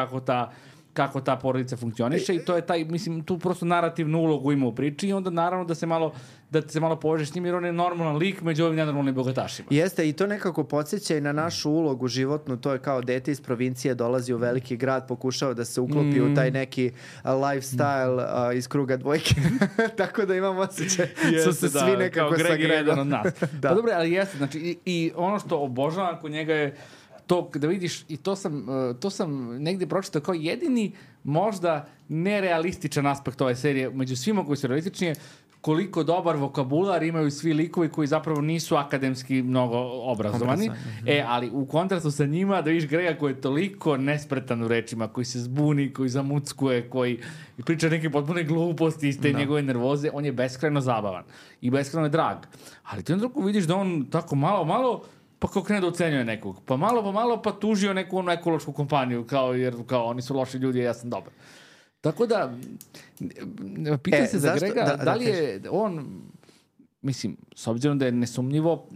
kako ta porodica funkcioniše i to je taj, mislim, tu prosto narativnu ulogu ima u priči i onda naravno da se malo povežeš s njim jer on je normalan lik među ovim nenormalnim bogatašima. Jeste, i to nekako podsjeća i na našu ulogu životnu, to je kao dete iz provincije dolazi u veliki grad, pokušao da se uklopi u taj neki lifestyle iz kruga dvojke. Tako da imam osjećaj, su se svi nekako sagredali. Pa dobro, ali jeste, znači i ono što obožavam kod njega je to da vidiš, i to sam negdje pročitao kao jedini možda nerealističan aspekt ove serije, među svima koji su realistični, koliko dobar vokabular imaju svi likovi koji zapravo nisu akademski mnogo obrazovani. Ali u kontrastu sa njima da vidiš Grega koji je toliko nespretan u rečima, koji se zbuni, koji zamuckuje, koji priča neke potpune gluposti iz te njegove nervoze, on je beskrajno zabavan i beskrajno je drag. Ali ti onda vidiš da on tako malo pa kao krene da ocenjuje nekog. Pa malo pa tužio neku ekološku kompaniju, jer oni su loši ljudi, ja sam dobar. Tako da, pita se za Grega, da li je on, mislim, s obzirom da je nesumnjivo,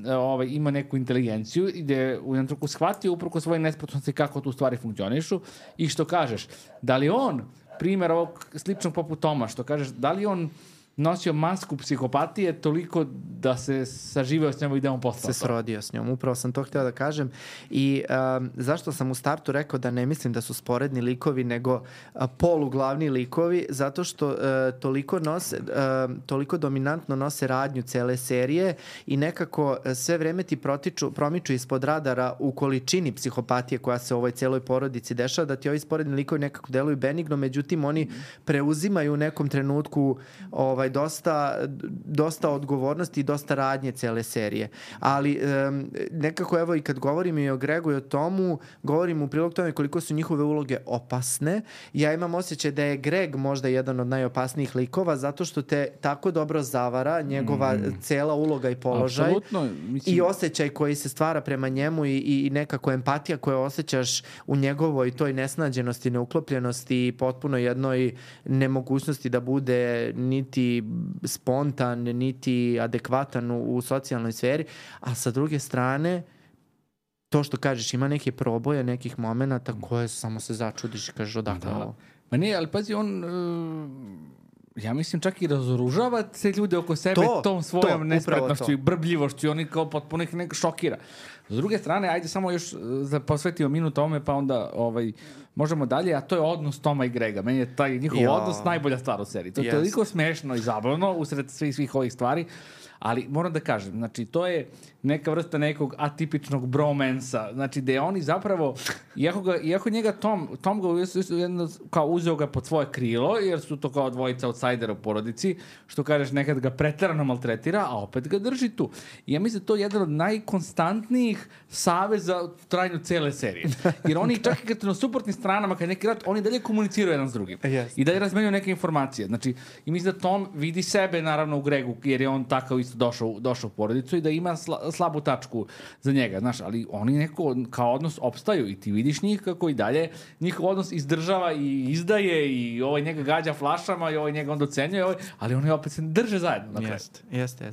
ima neku inteligenciju i da je u jednom trenutku shvatio upravo svoje nespretnosti kako tu stvari funkcionišu i što kažeš, da li on, primjer ovog sličnog poput Toma, što kažeš, da li on nosio masku psihopatije toliko da se saživio s njom i da on postao. Se srodio s njom, upravo sam to htio da kažem. I zašto sam u startu rekao da ne mislim da su sporedni likovi, nego poluglavni likovi, zato što toliko dominantno nose radnju cele serije i nekako sve vreme ti promiču ispod radara u količini psihopatije koja se u ovoj celoj porodici dešava, da ti ovi sporedni likovi nekako deluju benigno, međutim oni preuzimaju u nekom trenutku dosta odgovornosti i dosta radnje cele serije. Ali nekako evo i kad govorim i o Gregu i o Tomu, govorim u prilog tome koliko su njihove uloge opasne. Ja imam osjećaj da je Greg možda jedan od najopasnijih likova zato što te tako dobro zavara njegova cela uloga i položaj. Apsolutno, mislim... I osjećaj koji se stvara prema njemu i nekako empatija koju osjećaš u njegovoj toj nesnađenosti, neuklopljenosti i potpuno jednoj nemogućnosti da bude niti spontan, niti adekvatan u socijalnoj sferi, a sa druge strane to što kažeš, ima neke proboje, nekih momenata koje samo se začudiš i kažeš odakle ovo. Ma nije, ali pazi, on... ja mislim čak i razoružava se ljude oko sebe tom svojom nespretnošću i brbljivošću i oni kao potpuno ih nekako šokira. S druge strane, ajde samo još da posvetimo minut tome pa onda možemo dalje, a to je odnos Toma i Grega. Meni je taj njihov odnos najbolja stvar u seriji. To je toliko smešno i zabavno usred svih ovih stvari, ali moram da kažem, znači to je neka vrsta nekog atipičnog bromansa, znači da je oni zapravo, iako njega Tom ga kao uzeo ga pod svoje krilo, jer su to kao dvojica outsidera u porodici, što kažeš nekad ga preterano maltretira, a opet ga drži tu. I ja mislim da to je jedan od najkonstantnijih saveza u trajanju cele serije. Jer oni čak i kad na suprotnim stranama, kad neki rat, oni dalje komuniciraju jedan s drugim. I dalje razmenjuju neke informacije. Znači, i mislim da Tom vidi sebe naravno u Gregu, jer je on takav isto došao u porodicu i da ima slabu tačku za njega, znaš, ali oni neko kao odnos opstaju i ti vidiš njih kako i dalje njihov odnos izdržava i izdaje i ovaj njega gađa flašama i ovaj njega onda ocenjuje, ali oni opet se drže zajedno na kraju. Jeste.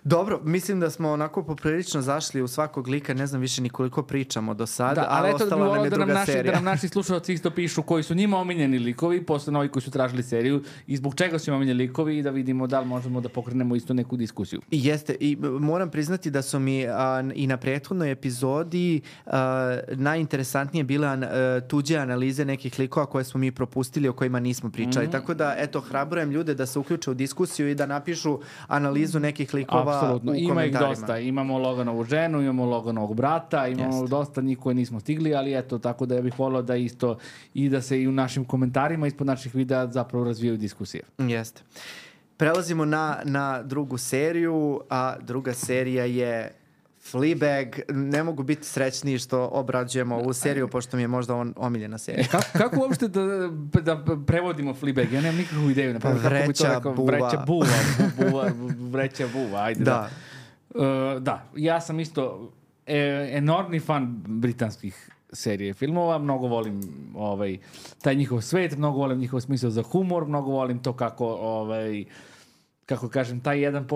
Dobro, mislim da smo onako poprilično zašli u svakog lika, ne znam više ni koliko pričamo do sada, ali ostala nam je druga serija. Da nam naši slušalci isto pišu koji su njima omiljeni likovi, posle novi koji su tražili seriju i zbog čega su im omiljeni likovi i da vidimo da li možemo da pokrenemo isto neku diskusiju. Jeste, i moram priznati da su mi i na prethodnoj epizodi najinteresantnije bile tuđe analize nekih likova koje smo mi propustili, o kojima nismo pričali. Tako da, eto, hrabrujem ljude da se uključe u diskusiju i da napišu analizu nekih likova. Apsolutno, ima ih dosta. Imamo Loganovu ženu, imamo Loganovog brata, imamo dosta njih koje nismo stigli, ali eto, tako da ja bih volio da isto i da se i u našim komentarima ispod naših videa zapravo razvijaju diskusije. Jeste. Prelazimo na drugu seriju, a druga serija je Fleabag. Ne mogu biti srećniji što obrađujemo ovu seriju, pošto mi je možda omiljena serija. Kako uopšte da prevodimo Fleabag? Ja nemam nikakvu ideju. Vreća buva. Ajde, da, ja sam isto enormni fan britanskih serije filmova, mnogo volim taj njihov svet, mnogo volim njihov smisao za humor, mnogo volim to kako kažem, taj jedan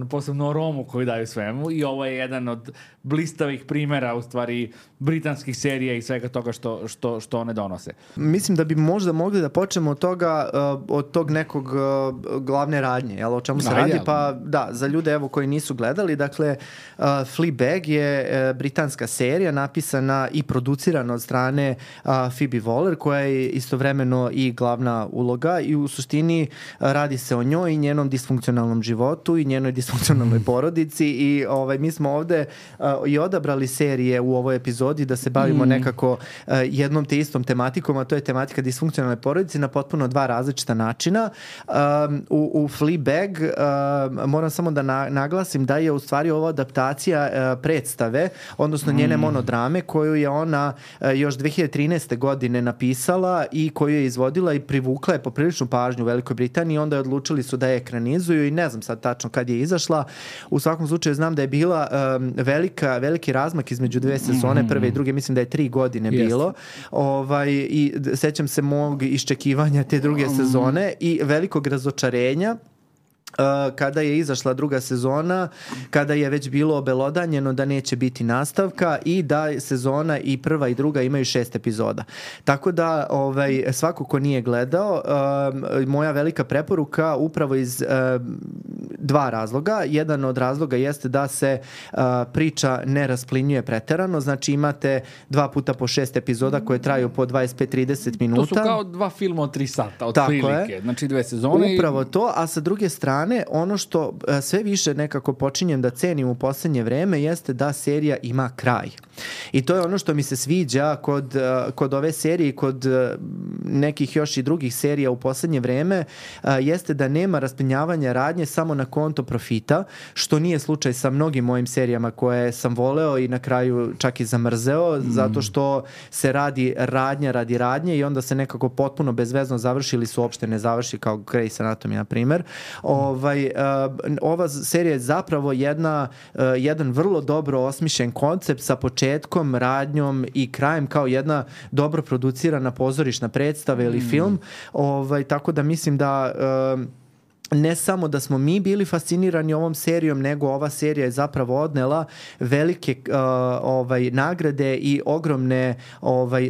posebno aromu koju daju svemu i ovo je jedan od blistavih primjera u stvari britanskih serija i svega toga što one donose. Mislim da bi možda mogli da počnemo od toga, od tog nekog glavne radnje, o čemu se radi, pa da, za ljude evo koji nisu gledali, dakle Fleabag je britanska serija napisana i producirana od strane Phoebe Waller, koja je istovremeno i glavna uloga i u suštini radi se o njoj i njenom disfunkcionalnom životu i njenoj disfunkcionalnoj porodici i mi smo ovde i odabrali serije u ovoj epizodi da se bavimo nekako jednom te istom tematikom, a to je tematika disfunkcionalne porodice na potpuno dva različita načina. U Fleabag moram samo da naglasim da je u stvari ova adaptacija predstave, odnosno njene monodrame koju je ona još 2013. godine napisala i koju je izvodila i privukla je popriličnu pažnju u Velikoj Britaniji, onda je odlučili su da je ekranizuju i ne znam sad tačno kad je izašla. U svakom slučaju znam da je bila veliki razmak između dve sezone, prve i druge, mislim da je 3 godine bilo. I sećam se mog iščekivanja te druge sezone i velikog razočarenja kada je izašla druga sezona, kada je već bilo obelodanjeno da neće biti nastavka i da sezona i prva i druga imaju 6 epizoda. Tako da svako ko nije gledao, moja velika preporuka upravo iz dva razloga. Jedan od razloga jeste da se priča ne rasplinjuje preterano, znači imate 2 puta po 6 epizoda koje traju po 25-30 minuta. To su kao 2 filma od 3 sata, od prilike, znači 2 sezone. Upravo to, a sa druge strane, ono što sve više nekako počinjem da cenim u poslednje vreme jeste da serija ima kraj. I to je ono što mi se sviđa kod ove serije i kod nekih još i drugih serija u poslednje vreme, jeste da nema rasplinjavanja radnje samo na konto profita, što nije slučaj sa mnogim mojim serijama koje sam voleo i na kraju čak i zamrzeo, zato što se radi radnja radi radnje i onda se nekako potpuno bezvezno završi ili se uopšte ne završi, kao Grey's Anatomy, na primer. Ova serija je zapravo jedan vrlo dobro osmišljen koncept sa početkom, radnjom i krajem, kao jedna dobro producirana pozorišna predstava ili film. Tako da mislim da ne samo da smo mi bili fascinirani ovom serijom, nego ova serija je zapravo odnela velike nagrade i ogromne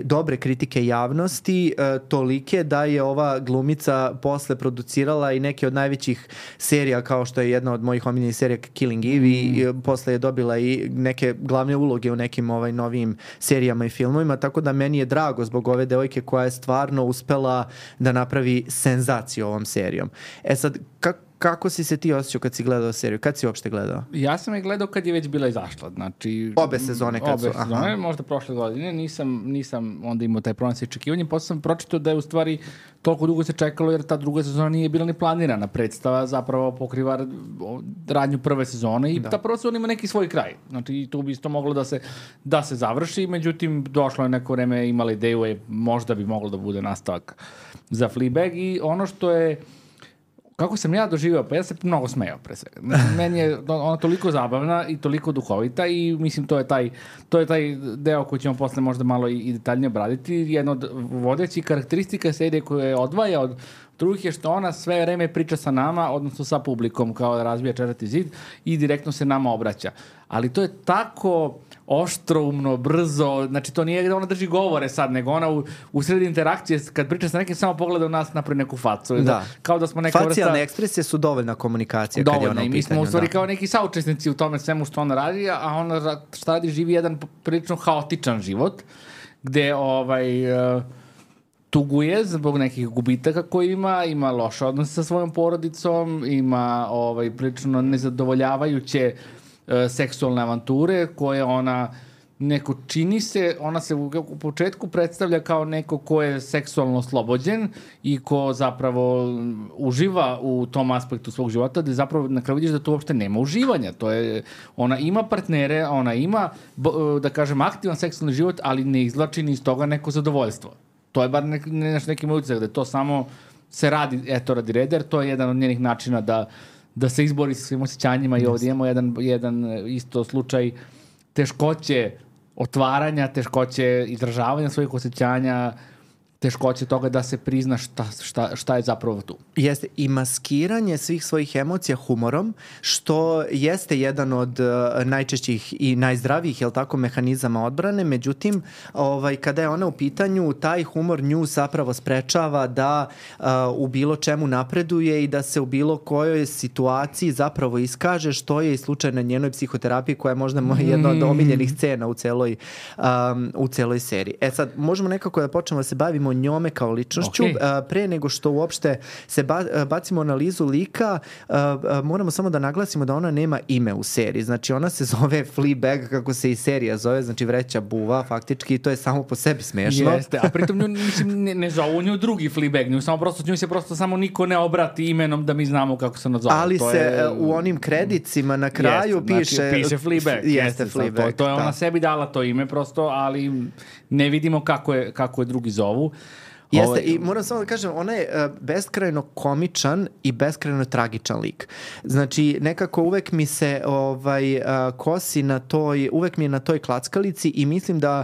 dobre kritike javnosti, tolike da je ova glumica posle producirala i neke od najvećih serija, kao što je jedna od mojih omiljenih serija Killing Eve, i posle je dobila i neke glavne uloge u nekim novim serijama i filmovima, tako da meni je drago zbog ove devojke koja je stvarno uspela da napravi senzaciju ovom serijom. Sad, kako si se ti osjećao kad si gledao seriju? Kad si uopšte gledao? Ja sam je gledao kad je već bila izašla. Znači, obe sezone kad su? Obe sezone, možda prošle godine. Nisam onda imao taj problem sa očekivanjem. Posle sam pročitao da je u stvari toliko dugo se čekalo jer ta druga sezona nije bila ni planirana. Predstava zapravo pokriva radnju prve sezone i ta prva sezona ima neki svoj kraj. Znači tu bi isto moglo da se završi. Međutim, došlo je neko vreme, imala ideju, možda bi moglo da bude nastavak za Fleabag. I ono što je kako sam ja doživio, pa ja se mnogo smejao pre svega. Meni je ona toliko zabavna i toliko duhovita i mislim to je taj deo koji ćemo posle možda malo i detaljnije obraditi. Jedna od vodećih karakteristika serije koje odvaja od drugih je što ona sve vreme priča sa nama, odnosno sa publikom, kao da razbija četvrti zid i direktno se nama obraća. Ali to je tako oštroumno, brzo, znači to nije da ona drži govore sad, nego ona u sredi interakcije, kad priča sa nekim, samo pogleda u nas, napravi neku facu. Da. Kao da smo neka vrsta... Facijalne ekspresije su dovoljna komunikacija kad je ona u pitanju. I mi smo u stvari kao neki saučesnici u tome svemu što ona radi, a ona šta radi, živi jedan prilično haotičan život, gde tuguje zbog nekih gubitaka koje ima loše odnose sa svojom porodicom, ima prilično nezadovoljavajuće seksualne avanture koje ona neko čini se, ona se u početku predstavlja kao neko ko je seksualno oslobođen i ko zapravo uživa u tom aspektu svog života, da zapravo na kraju vidiš da to uopšte nema uživanja. To je, ona ima partnere, ona ima, da kažem, aktivan seksualni život, ali ne izvlači ni iz toga neko zadovoljstvo. To je bar neki moj utisak, da to samo se radi, radi reda, jer to je jedan od njenih načina da se izbori sa svim osjećanjima i ovdje imamo jedan isto slučaj teškoće otvaranja, teškoće izražavanja svojih osjećanja, teškoće toga da se prizna šta je zapravo tu. Jeste, i maskiranje svih svojih emocija humorom, što jeste jedan od najčešćih i najzdravijih, mehanizama odbrane, međutim, kada je ona u pitanju, taj humor nju zapravo sprečava da u bilo čemu napreduje i da se u bilo kojoj situaciji zapravo iskaže, što je i slučaj na njenoj psihoterapiji, koja je možda jedna od omiljenih scena u celoj seriji. Sad, možemo nekako da počnemo da se bavimo njome kao ličnošću. Pre nego što uopšte se bacimo analizu lika, moramo samo da naglasimo da ona nema ime u seriji. Znači, ona se zove Fleabag, kako se i serija zove, znači vreća buva, faktički, i to je samo po sebi smešno. Jeste, a pritom ne zovu nju drugi Fleabag, nju se prosto samo niko ne obrati imenom da mi znamo kako se nazove. Ali se u onim kredicima na kraju piše Fleabag. Jeste Fleabag. To je ona sebi dala to ime prosto, ali ne vidimo kako je drugi zovu. Jeste, i moram samo da kažem, ona je beskrajno komičan i beskrajno tragičan lik. Znači, nekako uvek mi se kosi na toj, uvek mi je na toj klackalici i mislim da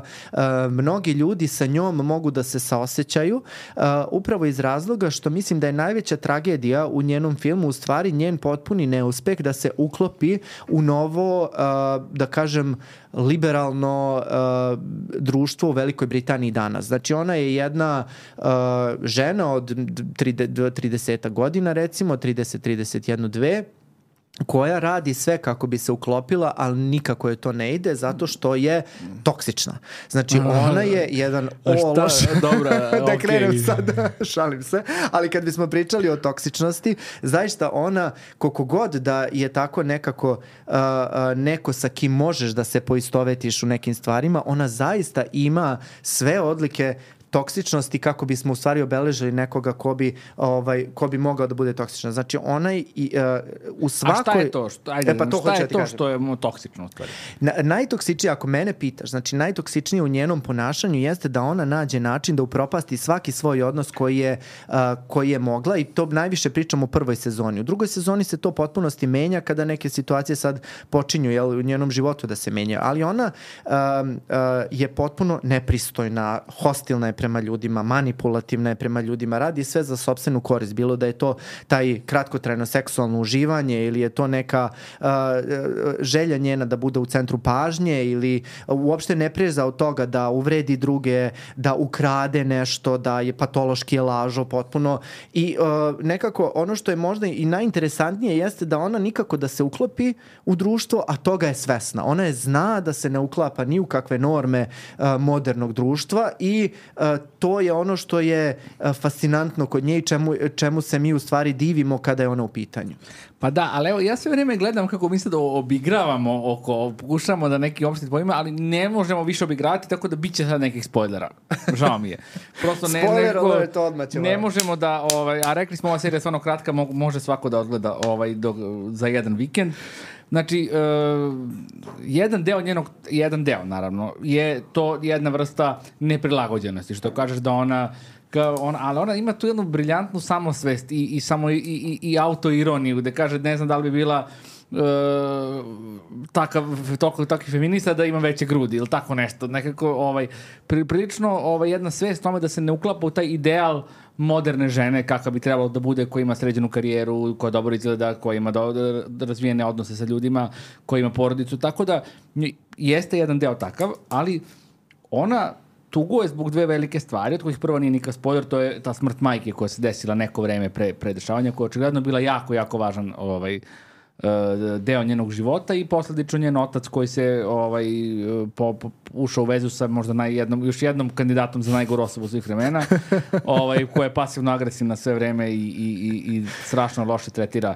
mnogi ljudi sa njom mogu da se saosećaju, upravo iz razloga što mislim da je najveća tragedija u njenom filmu u stvari njen potpuni neuspeh da se uklopi u novo, da kažem, liberalno društvo u Velikoj Britaniji danas. Znači, ona je jedna žena od 30 godina, recimo, 30, 31, 2, koja radi sve kako bi se uklopila, ali nikako je to ne ide zato što je toksična. Znači, ona je jedan ološ. Dobra, da krenem sad, šalim se. Ali kad bismo pričali o toksičnosti, zaista ona, koliko god da je tako nekako neko sa kim možeš da se poistovetiš u nekim stvarima, ona zaista ima sve odlike toksičnosti kako bismo u stvari obeležili nekoga ko bi mogao da bude toksičan. Znači, ona u svakoj... A šta je to? Šta je to što je toksično u stvari? Najtoksičnije, ako mene pitaš, znači najtoksičnije u njenom ponašanju jeste da ona nađe način da upropasti svaki svoj odnos koji je mogla, i to najviše pričam u prvoj sezoni. U drugoj sezoni se to potpunosti menja kada neke situacije sad počinju u njenom životu da se menjaju. Ali ona je potpuno nepristojna, hostilna je prema ljudima, manipulativna je prema ljudima, radi sve za sopstvenu korist, bilo da je to taj kratkotrajno seksualno uživanje ili je to neka želja njena da bude u centru pažnje ili uopšte ne preza od toga da uvredi druge, da ukrade nešto, da je patološki lažo potpuno i nekako ono što je možda i najinteresantnije jeste da ona nikako da se uklopi u društvo, a toga je svesna. Ona je zna da se ne uklapa ni u kakve norme modernog društva i to je ono što je fascinantno kod nje i čemu se mi u stvari divimo kada je ona u pitanju. Pa da, ali evo, ja sve vreme gledam kako mi se da obigravamo pokušamo da neki opštit pojma, ali ne možemo više obigravati, tako da bit će sad nekih spoilera. Žao mi je. Prosto ne možemo da, a rekli smo ova serija je stvarno kratka, može svako da odgleda za jedan vikend. Znači, jedan deo naravno, je to jedna vrsta neprilagođenosti, što kažeš da ali ona ima tu jednu briljantnu samosvest i autoironiju, gde kaže, ne znam da li bi bila takvi feminista da ima veće grudi ili tako nešto. Nekako, prilično jedna svest tome da se ne uklapa u taj ideal moderne žene kakva bi trebalo da bude, koja ima sređenu karijeru, koja dobro izgleda, koja ima razvijene odnose sa ljudima, koja ima porodicu. Tako da jeste jedan deo takav, ali ona tuguje zbog dve velike stvari, od kojih prva nije nikakav spoiler, to je ta smrt majke koja se desila neko vreme pre dešavanja, koja je očigledno bila jako, jako važan deo njenog života i posledično njen otac koji se ušao u vezu sa možda još jednom kandidatom za najgoru osobu svih vremena, koja je pasivno agresivna sve vreme i strašno loše tretira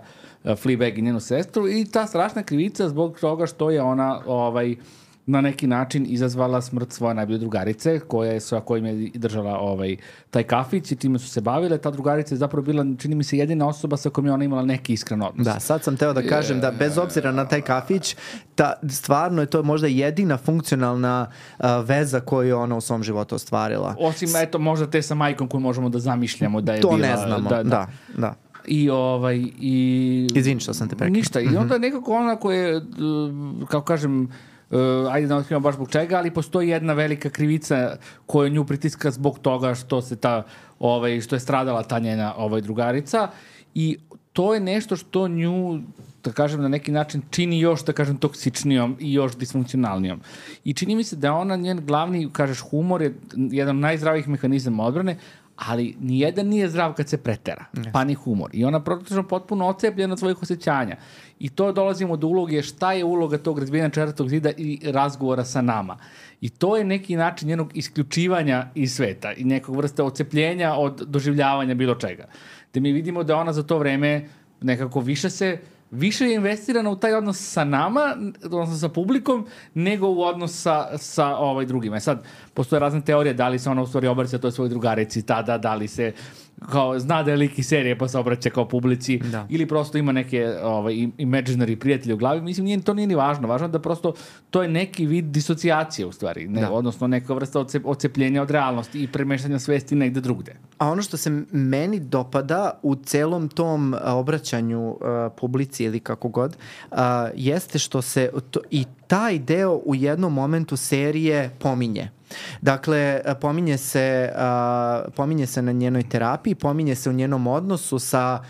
Fleabag i njenu sestru, i ta strašna krivica zbog toga što je ona na neki način izazvala smrt svoje najbolje drugarice, sa kojim je držala taj kafić i time su se bavile. Ta drugarica je zapravo bila, čini mi se, jedina osoba sa kojom je ona imala neki iskren odnos. Da, sad sam teo da kažem da bez obzira na taj kafić, stvarno je to možda jedina funkcionalna veza koju je ona u svom životu ostvarila. Osim, možda te sa majkom koju možemo da zamišljamo da je bila... To ne znamo, da. Izvini što sam te prekao. Ništa, i onda nekako ona koja je, kako kažem, ajde da otkrivamo baš zbog čega, ali postoji jedna velika krivica koja nju pritiska zbog toga što što je stradala ta njena drugarica, i to je nešto što nju, da kažem, na neki način čini još, da kažem, toksičnijom i još disfunkcionalnijom. I čini mi se da ona, njen glavni, kažeš, humor je jedan od najzdravijih mehanizama odbrane, ali nijedan nije zdrav kad se pretera, pa ni humor. I ona potpuno ocepljena od svojih osjećanja. I to dolazimo do uloge šta je uloga tog razbijanja četvrtog zida i razgovora sa nama. I to je neki način njenog isključivanja iz sveta i nekog vrste ocepljenja od doživljavanja bilo čega. Da mi vidimo da ona za to vreme nekako više je investirana u taj odnos sa nama, odnosno sa publikom, nego u odnos sa drugima. Sad, postoje razne teorije da li se ona u stvari obraća toj svojoj drugarici tada, da li se zna da je lik iz serije pa se obraća kao publici, ili prosto ima neke imaginary prijatelje u glavi. Mislim, to nije ni važno. Važno je da prosto to je neki vid disocijacije u stvari, odnosno neka vrsta ocepljenja od realnosti i premeštanja svesti negde drugde. A ono što se meni dopada u celom tom obraćanju publici ili kako god, jeste što se i taj deo u jednom momentu serije pominje. Dakle, pominje se na njenoj terapiji, pominje se u njenom odnosu sa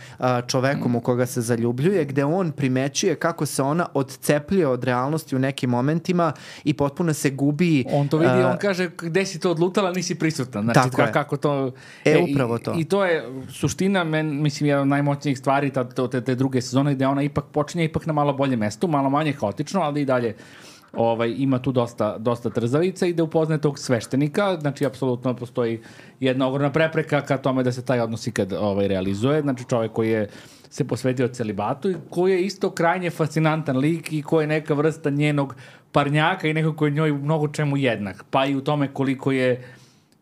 čovekom u koga se zaljubljuje, gde on primećuje kako se ona odcepljuje od realnosti u nekim momentima i potpuno se gubi. On to vidi, on kaže gde si to odlutala, nisi prisutan. Znači, kako to... Upravo to. I to je suština, mislim, jedna od najmoćnijih stvari te druge sezone, gde ona ipak počinje ipak na malo bolje mestu, malo manje haotično, ali i dalje ima tu dosta trzavica i da upoznaje tog sveštenika, znači apsolutno postoji jedna ogromna prepreka ka tome da se taj odnos ikad realizuje, znači čovjek koji je se posvetio celibatu i koji je isto krajnje fascinantan lik i koji je neka vrsta njenog parnjaka i neko koji je njoj u mnogo čemu jednak, pa i u tome koliko je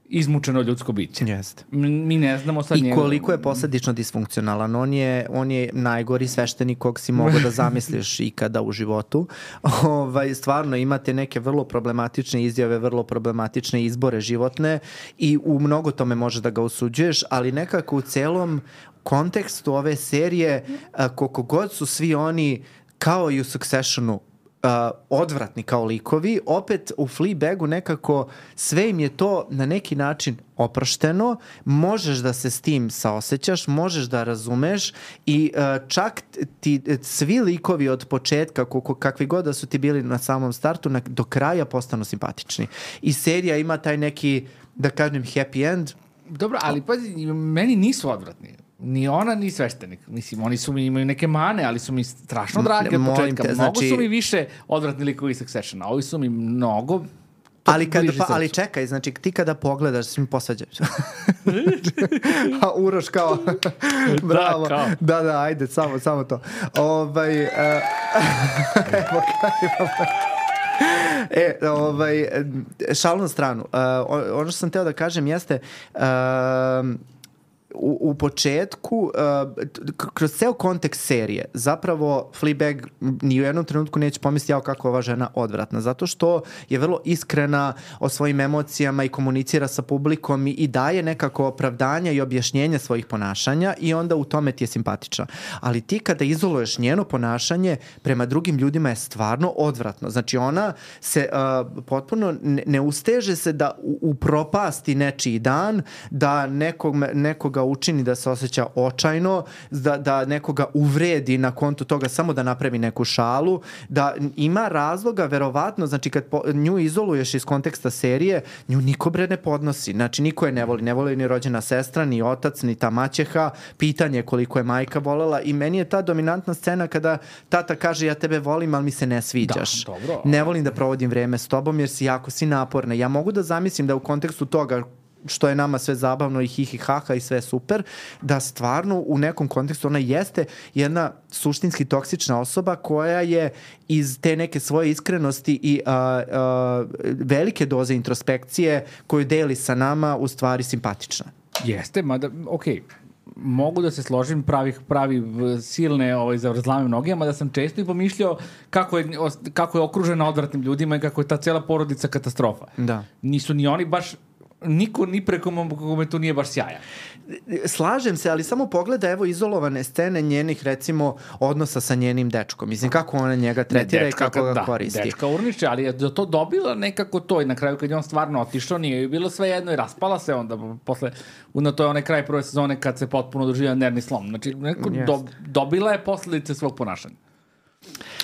izmučeno ljudsko biće. Jeste. Mi ne znamo sad I koliko je posledično disfunkcionalan. On je najgori sveštenik kog si mogu da zamisliš ikada u životu. Stvarno imate neke vrlo problematične izjave, vrlo problematične izbore životne i u mnogo tome može da ga osuđuješ, ali nekako u celom kontekstu ove serije, koliko god su svi oni kao i u Successionu odvratni kao likovi, opet u Fleabagu nekako sve im je to na neki način oprošteno, možeš da se s tim saosećaš, možeš da razumeš i čak ti svi likovi od početka, kakvi god da su ti bili na samom startu, do kraja postanu simpatični. I serija ima taj neki, da kažem, happy end. Dobro, ali pazi, meni nisu odvratni. Ni ona, ni sveštenik. Mislim, oni imaju neke mane, ali su mi strašno dragi od početka. Mnogo su mi više odvratni likovi Successiona. Ovi su mi mnogo... Ali čekaj, znači ti kada pogledaš, svi mi posvađaš. A Uroš kao... Bravo. Da, ajde, samo to. Šalu na stranu. Ono što sam teo da kažem jeste... U početku, kroz ceo kontekst serije, zapravo Fleabag ni u jednom trenutku neće pomisliti kako ova žena odvratna, zato što je vrlo iskrena o svojim emocijama i komunicira sa publikom i daje nekako opravdanja i objašnjenja svojih ponašanja i onda u tome ti je simpatična. Ali ti kada izoluješ njeno ponašanje prema drugim ljudima je stvarno odvratno. Znači ona se potpuno ne usteže se da upropasti nečiji dan, da nekoga učini da se osjeća očajno, da nekoga uvredi na kontu toga samo da napravi neku šalu, da ima razloga verovatno, znači kad nju izoluješ iz konteksta serije, nju niko bre ne podnosi, znači niko je ne voli ni rođena sestra, ni otac, ni ta maćeha, pitanje koliko je majka volela i meni je ta dominantna scena kada tata kaže ja tebe volim, ali mi se ne sviđaš. Ne volim da provodim vreme s tobom jer si naporna. Ja mogu da zamislim da u kontekstu toga što je nama sve zabavno i hihi haha i sve super, da stvarno u nekom kontekstu ona jeste jedna suštinski toksična osoba koja je iz te neke svoje iskrenosti i velike doze introspekcije koju deli sa nama u stvari simpatična. Jeste, mada, okej. Mogu da se složim, pravi silne zavrzlame noge, mada sam često i pomišljao kako je okružena odvratnim ljudima i kako je ta cela porodica katastrofa. Da. Nisu ni oni baš niko ni preko kome to nije baš sjajan. Slažem se, ali samo pogleda evo izolovane scene njenih recimo odnosa sa njenim dečkom. Mislim kako ona njega tretira i kako ga koristi. Dečka urniče, ali je to dobila nekako to i na kraju kad je on stvarno otišao nije joj bilo sve jedno i raspala se onda posle, to je onaj kraj prve sezone kad se potpuno doživio nervni slom. Znači dobila je posledice svog ponašanja.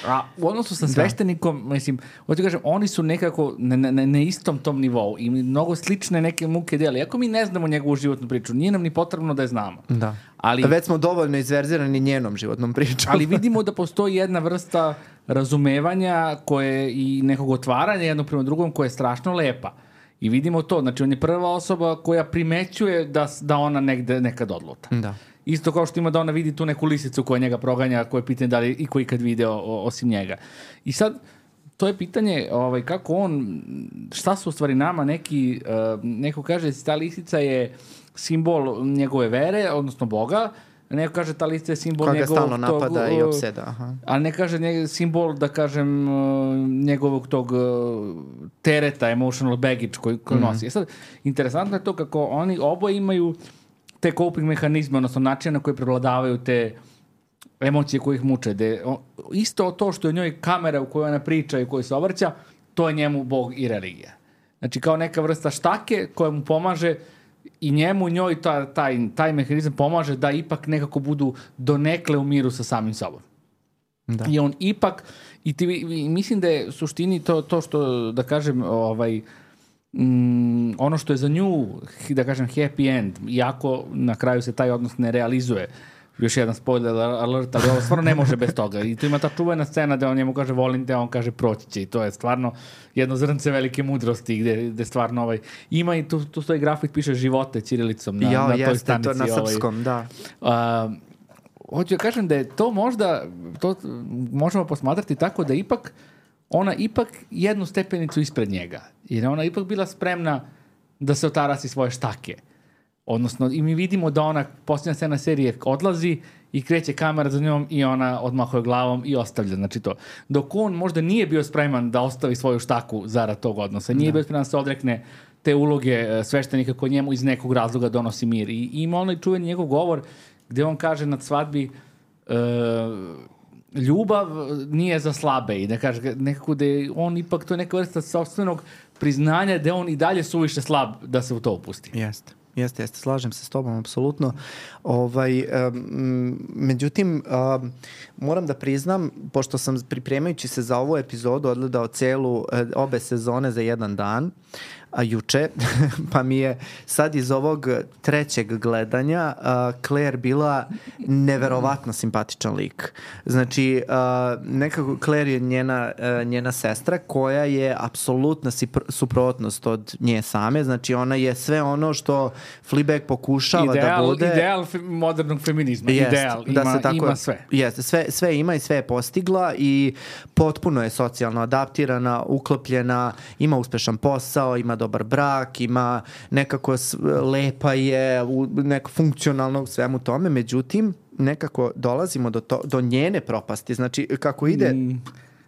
A u odnosu sa sveštenikom, mislim, hoću kažem, oni su nekako na istom tom nivou i mnogo slične neke muke deli. Iako mi ne znamo njegovu životnu priču, nije nam ni potrebno da je znamo. Da. Ali, već smo dovoljno izverzirani njenom životnom pričom. Ali vidimo da postoji jedna vrsta razumevanja koje i nekog otvaranja jednog prema drugom koja je strašno lepa. I vidimo to, znači on je prva osoba koja primećuje da ona negde nekad odluta. Da. Isto kao što ima da ona vidi tu neku lisicu koja njega proganja, koje je pitanje da li i koji kad video osim njega. I sad, to je pitanje kako on, šta su u stvari nama neko kaže ta lisica je simbol njegove vere, odnosno Boga, neko kaže ta lisica je simbol koga njegovog stalno napada i opseda. Aha. Ali ne kaže simbol, da kažem, njegovog tog tereta, emotional baggage koji nosi. Sad, interesantno je to kako oni oboje imaju te coping mehanizme, odnosno načine na koje prevladavaju te emocije koje ih muče. Isto to što je njoj kamera u kojoj ona priča i u kojoj se obraća, to je njemu Bog i religija. Znači kao neka vrsta štake koja mu pomaže i njoj taj mehanizam pomaže da ipak nekako budu donekle u miru sa samim sobom. Da. I on ipak, mislim da je u suštini to što, da kažem, ono što je za nju, da kažem, happy end, iako na kraju se taj odnos ne realizuje. Još jedan spoiler alert, ali ovo stvarno ne može bez toga. I tu ima ta čuvena scena da on njemu kaže volim te, a on kaže proći će. I to je stvarno jedno zrnce velike mudrosti gde stvarno ima i tu stoji grafik, piše živote ćirilicom na toj stanici. To na srpskom, da. Hoću da kažem da je to možda, to možemo posmatrati tako da ona ipak jednu stepenicu ispred njega. Jer ona ipak bila spremna da se otarasi svoje štake. Odnosno, i mi vidimo da ona, posljednja scena serije, odlazi i kreće kamera za njom i ona odmahuje glavom i ostavlja. Znači to. Dok on možda nije bio spreman da ostavi svoju štaku zarad tog odnosa. Nije bio spreman da se odrekne te uloge sveštenika koji njemu iz nekog razloga donosi mir. I ima onaj čuveni njegov govor gde on kaže na svadbi ljubav nije za slabe i da kaže nekako da je on ipak, to je neka vrsta sopstvenog priznanja da on i dalje suviše slab da se u to upusti. Jeste, slažem se s tobom, apsolutno. Međutim, moram da priznam, pošto sam pripremajući se za ovu epizodu odgledao obe sezone za jedan dan, juče, pa mi je sad iz ovog trećeg gledanja Claire bila neverovatno simpatičan lik. Znači, nekako Claire je njena sestra koja je apsolutna suprotnost od nje same. Znači, ona je sve ono što Fleabag pokušava da bude. Ideal modernog feminizma. Ideal. Ima sve. Jeste, sve ima i sve je postigla i potpuno je socijalno adaptirana, uklopljena, ima uspešan posao, ima dobar brak, ima nekako lepa je, neko funkcionalno u svemu tome, međutim nekako dolazimo do njene propasti. Znači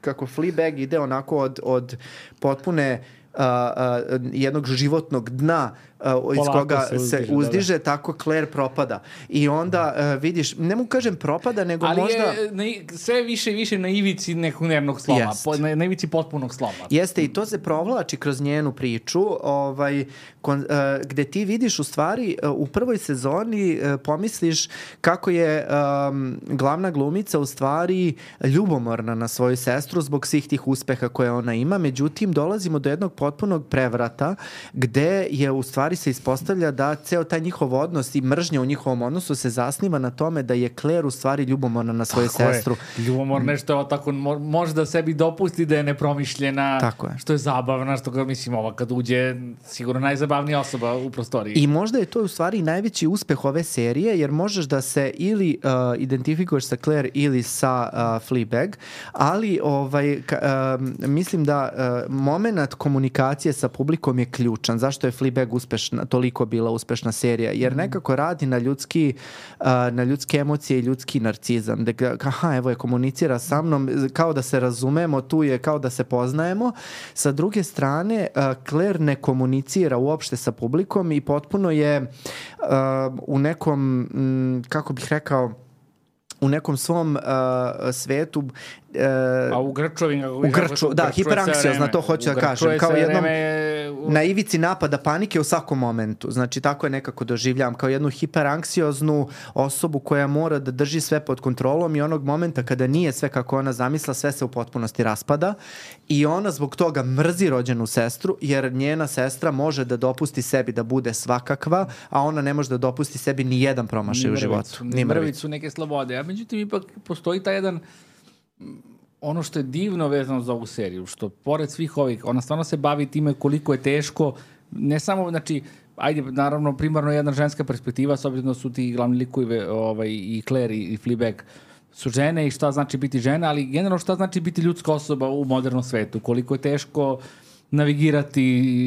kako Fleabag ide onako od potpune jednog životnog dna iz koga se uzdiže, tako Claire propada. I onda vidiš, ne mogu kažem propada, nego ali možda... Ali je sve više i više na ivici nekog nervnog sloma, na ivici potpunog sloma. Jeste, i to se provlači kroz njenu priču, gde ti vidiš u stvari, u prvoj sezoni pomisliš kako je glavna glumica u stvari ljubomorna na svoju sestru zbog svih tih uspeha koje ona ima, međutim dolazimo do jednog potpunog prevrata gde je u stvari se ispostavlja da ceo taj njihov odnos i mržnja u njihovom odnosu se zasniva na tome da je Claire u stvari ljubomorna na svoju sestru. Ljubomorna što je tako može da sebi dopusti da je nepromišljena, tako je. Što je zabavna, što ga mislim ova kad uđe sigurno najzabavnija osoba u prostoriji. I možda je to u stvari najveći uspeh ove serije, jer možeš da se ili identifikuješ sa Claire ili sa Fleabag, ali mislim da moment komunikacije sa publikom je ključan. Zašto je Fleabag toliko bila uspešna serija? Jer nekako radi na ljudske emocije i ljudski narcizam. Evo je, komunicira sa mnom, kao da se razumemo, tu je kao da se poznajemo. Sa druge strane, Claire ne komunicira uopšte sa publikom i potpuno je u nekom, kako bih rekao, u nekom svom svetu a u grčovim hiperanksiozna, to hoću da kažem, kao jednom na ivici napada panike u svakom momentu. Znači tako je nekako doživljavam, kao jednu hiperanksioznu osobu koja mora da drži sve pod kontrolom i onog momenta kada nije sve kako ona zamisla, sve se u potpunosti raspada i ona zbog toga mrzi rođenu sestru, jer njena sestra može da dopusti sebi da bude svakakva, a ona ne može da dopusti sebi ni jedan promašaj u životu. Ni mrvicu neke slobode. A međutim ipak postoji taj jedan ono što je divno vezano za ovu seriju, što pored svih ovih, ona stvarno se bavi time koliko je teško, ne samo, znači, ajde, naravno, primarno jedna ženska perspektiva, s obzirom da su ti glavni likovi i Claire i Fleabag su žene i šta znači biti žena, ali generalno šta znači biti ljudska osoba u modernom svetu, koliko je teško navigirati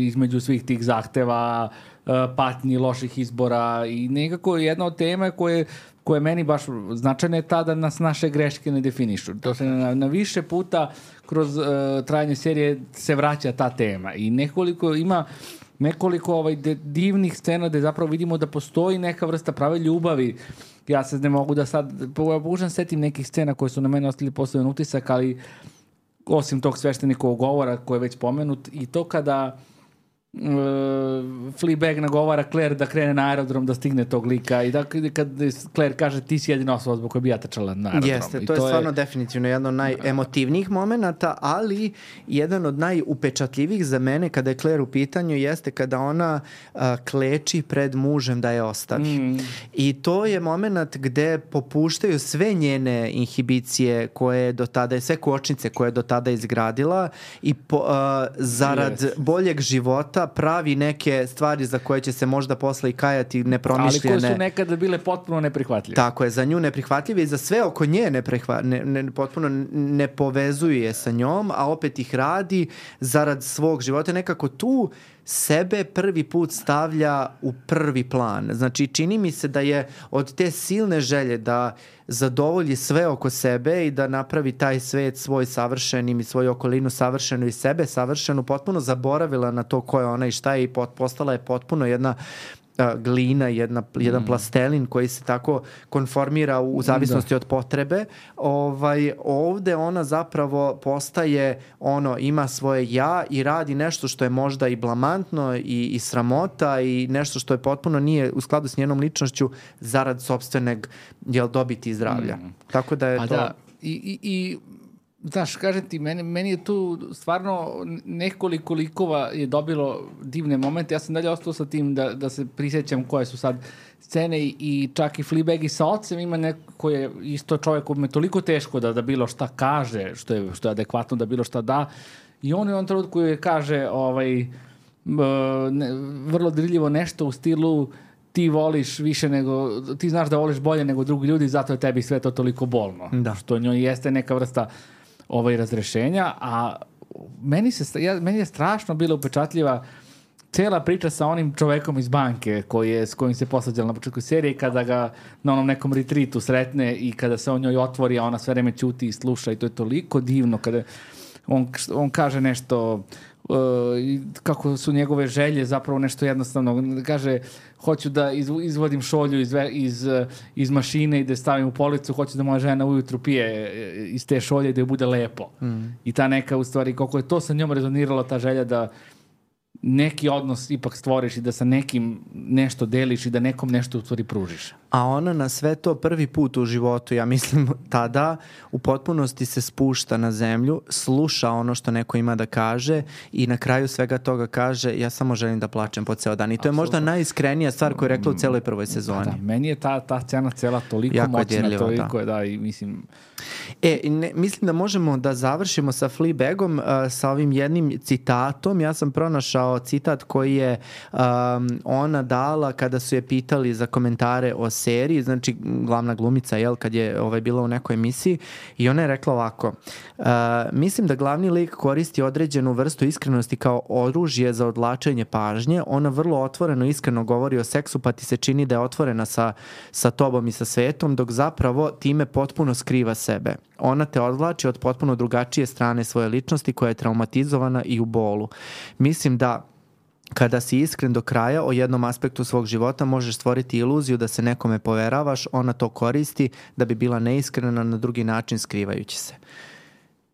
između svih tih zahteva, patnji, loših izbora i nekako jedna od tema koje meni baš značajna je ta da nas naše greške ne definišu. To se na više puta kroz trajanje serije se vraća ta tema i ima nekoliko divnih scena gde zapravo vidimo da postoji neka vrsta prave ljubavi. Ja se ne mogu da sad pokušam setim nekih scena koje su na mene ostavili poseban utisak, ali osim tog sveštenikovog govora koji je već pomenut i to kada Fleabag nagovara Claire da krene na aerodrom da stigne tog lika i da kad Claire kaže ti si jedina osoba zbog koja bi ja trčala na aerodrom. Jeste, to je stvarno definitivno jedan od najemotivnijih momenata, ali jedan od najupečatljivijih za mene kada je Claire u pitanju jeste kada ona kleči pred mužem da je ostavi. I to je moment gde popuštaju sve njene inhibicije koje do tada, sve kočnice koje je do tada izgradila i zarad boljeg života pravi neke stvari za koje će se možda posle i kajati nepromišljene. Ali koje su nekada bile potpuno neprihvatljive. Tako je, za nju neprihvatljive i za sve oko nje potpuno ne povezuju je sa njom, a opet ih radi zarad svog života. Nekako tu sebe prvi put stavlja u prvi plan. Znači, čini mi se da je od te silne želje da zadovolji sve oko sebe i da napravi taj svet svoj savršenim i svoju okolinu savršenu i sebe savršenu, potpuno zaboravila na to ko je ona i šta je i postala je potpuno jedna glina, jedan plastelin koji se tako konformira u zavisnosti od potrebe. Ovde ona zapravo postaje ima svoje ja i radi nešto što je možda i blamantno i sramota i nešto što je potpuno nije u skladu s njenom ličnošću zarad sopstvenog dobiti i zdravlja. Tako da je to... Da. I znaš, kažem ti, meni je tu stvarno nekoliko likova je dobilo divne momente. Ja sam dalje ostao sa tim da se prisjećam koje su sad scene i čak i Fleabag i sa ocem ima neko koji je isto čovjek koji je toliko teško da bilo šta kaže, što je adekvatno da bilo šta da. I on je on trenutku koji kaže vrlo dirljivo nešto u stilu ti voliš više nego, ti znaš da voliš bolje nego drugi ljudi, zato je tebi sve to toliko bolno. Da. Što njoj jeste neka vrsta razrešenja, a meni je strašno bila upečatljiva cela priča sa onim čovekom iz banke s kojim se posađala na početku serije, kada ga na onom nekom retreatu sretne i kada se on njoj otvori, a ona sve vreme ćuti i sluša i to je toliko divno kada on kaže nešto kako su njegove želje zapravo nešto jednostavno. Kaže, hoću da izvodim šolju iz mašine i da stavim u policu, hoću da moja žena ujutru pije iz te šolje i da joj bude lepo. I ta neka, u stvari, koliko je to sa njom rezoniralo, ta želja da neki odnos ipak stvoriš i da sa nekim nešto deliš i da nekom nešto u stvari pružiš. A ona na sve to prvi put u životu, ja mislim tada, u potpunosti se spušta na zemlju, sluša ono što neko ima da kaže i na kraju svega toga kaže ja samo želim da plačem po ceo dan. I to je možda najiskrenija stvar koju je rekla u celoj prvoj sezoni. Da, meni je ta scena cela toliko jako moćna, toliko da i mislim... Mislim da možemo da završimo sa Fleabagom sa ovim jednim citatom. Ja sam pronašao citat koji je ona dala kada su je pitali za komentare o seriji, znači glavna glumica, kad je bila u nekoj emisiji, i ona je rekla ovako: mislim da glavni lik koristi određenu vrstu iskrenosti kao oružje za odvlačenje pažnje. Ona vrlo otvoreno i iskreno govori o seksu, pa ti se čini da je otvorena sa tobom i sa svetom, dok zapravo time potpuno skriva sebe. Ona te odvlači od potpuno drugačije strane svoje ličnosti koja je traumatizovana i u bolu. Mislim da kada si iskren do kraja o jednom aspektu svog života, možeš stvoriti iluziju da se nekome poveravaš, ona to koristi da bi bila neiskrena na drugi način skrivajući se.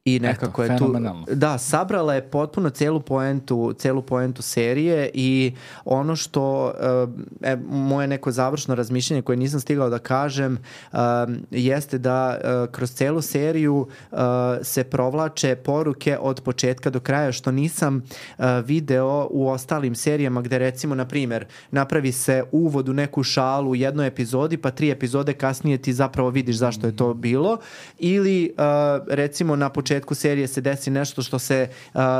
I nekako je tu, da, sabrala je potpuno celu poentu serije i ono što moje neko završno razmišljanje koje nisam stigao da kažem jeste da kroz celu seriju se provlače poruke od početka do kraja, što nisam video u ostalim serijama gde recimo, na primjer, napravi se uvod u neku šalu u jednoj epizodi, pa 3 epizode kasnije ti zapravo vidiš zašto je to bilo, ili recimo na početku serije se desi nešto što se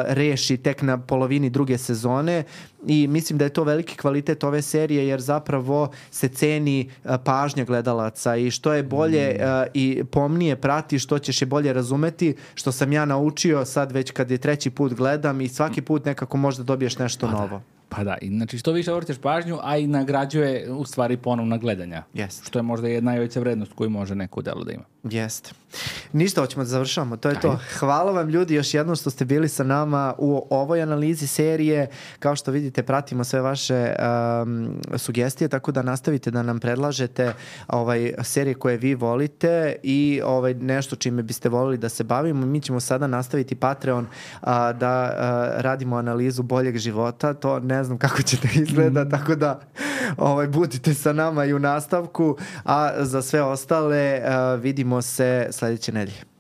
reši tek na polovini druge sezone, i mislim da je to veliki kvalitet ove serije, jer zapravo se ceni pažnja gledalaca i što je bolje i pomnije pratiš, što ćeš je bolje razumeti, što sam ja naučio sad već kad je 3. put gledam i svaki put nekako možda dobiješ nešto novo. Pa da, i znači što više obrćeš pažnju, a i nagrađuje u stvari ponovna gledanja. Jest. Što je možda jedna najveća vrednost koju može neko delo da ima. Jeste. Ništa, hoćemo da završavamo, to je to. Hvala vam ljudi još jednom što ste bili sa nama u ovoj analizi serije. Kao što vidite, pratimo sve vaše sugestije, tako da nastavite da nam predlažete serije koje vi volite i nešto čime biste volili da se bavimo. Mi ćemo sada nastaviti Patreon da radimo analizu boljeg života. To ne znam kako će da izgleda, tako da budite sa nama i u nastavku, a za sve ostale vidimo se sledeće nedelje.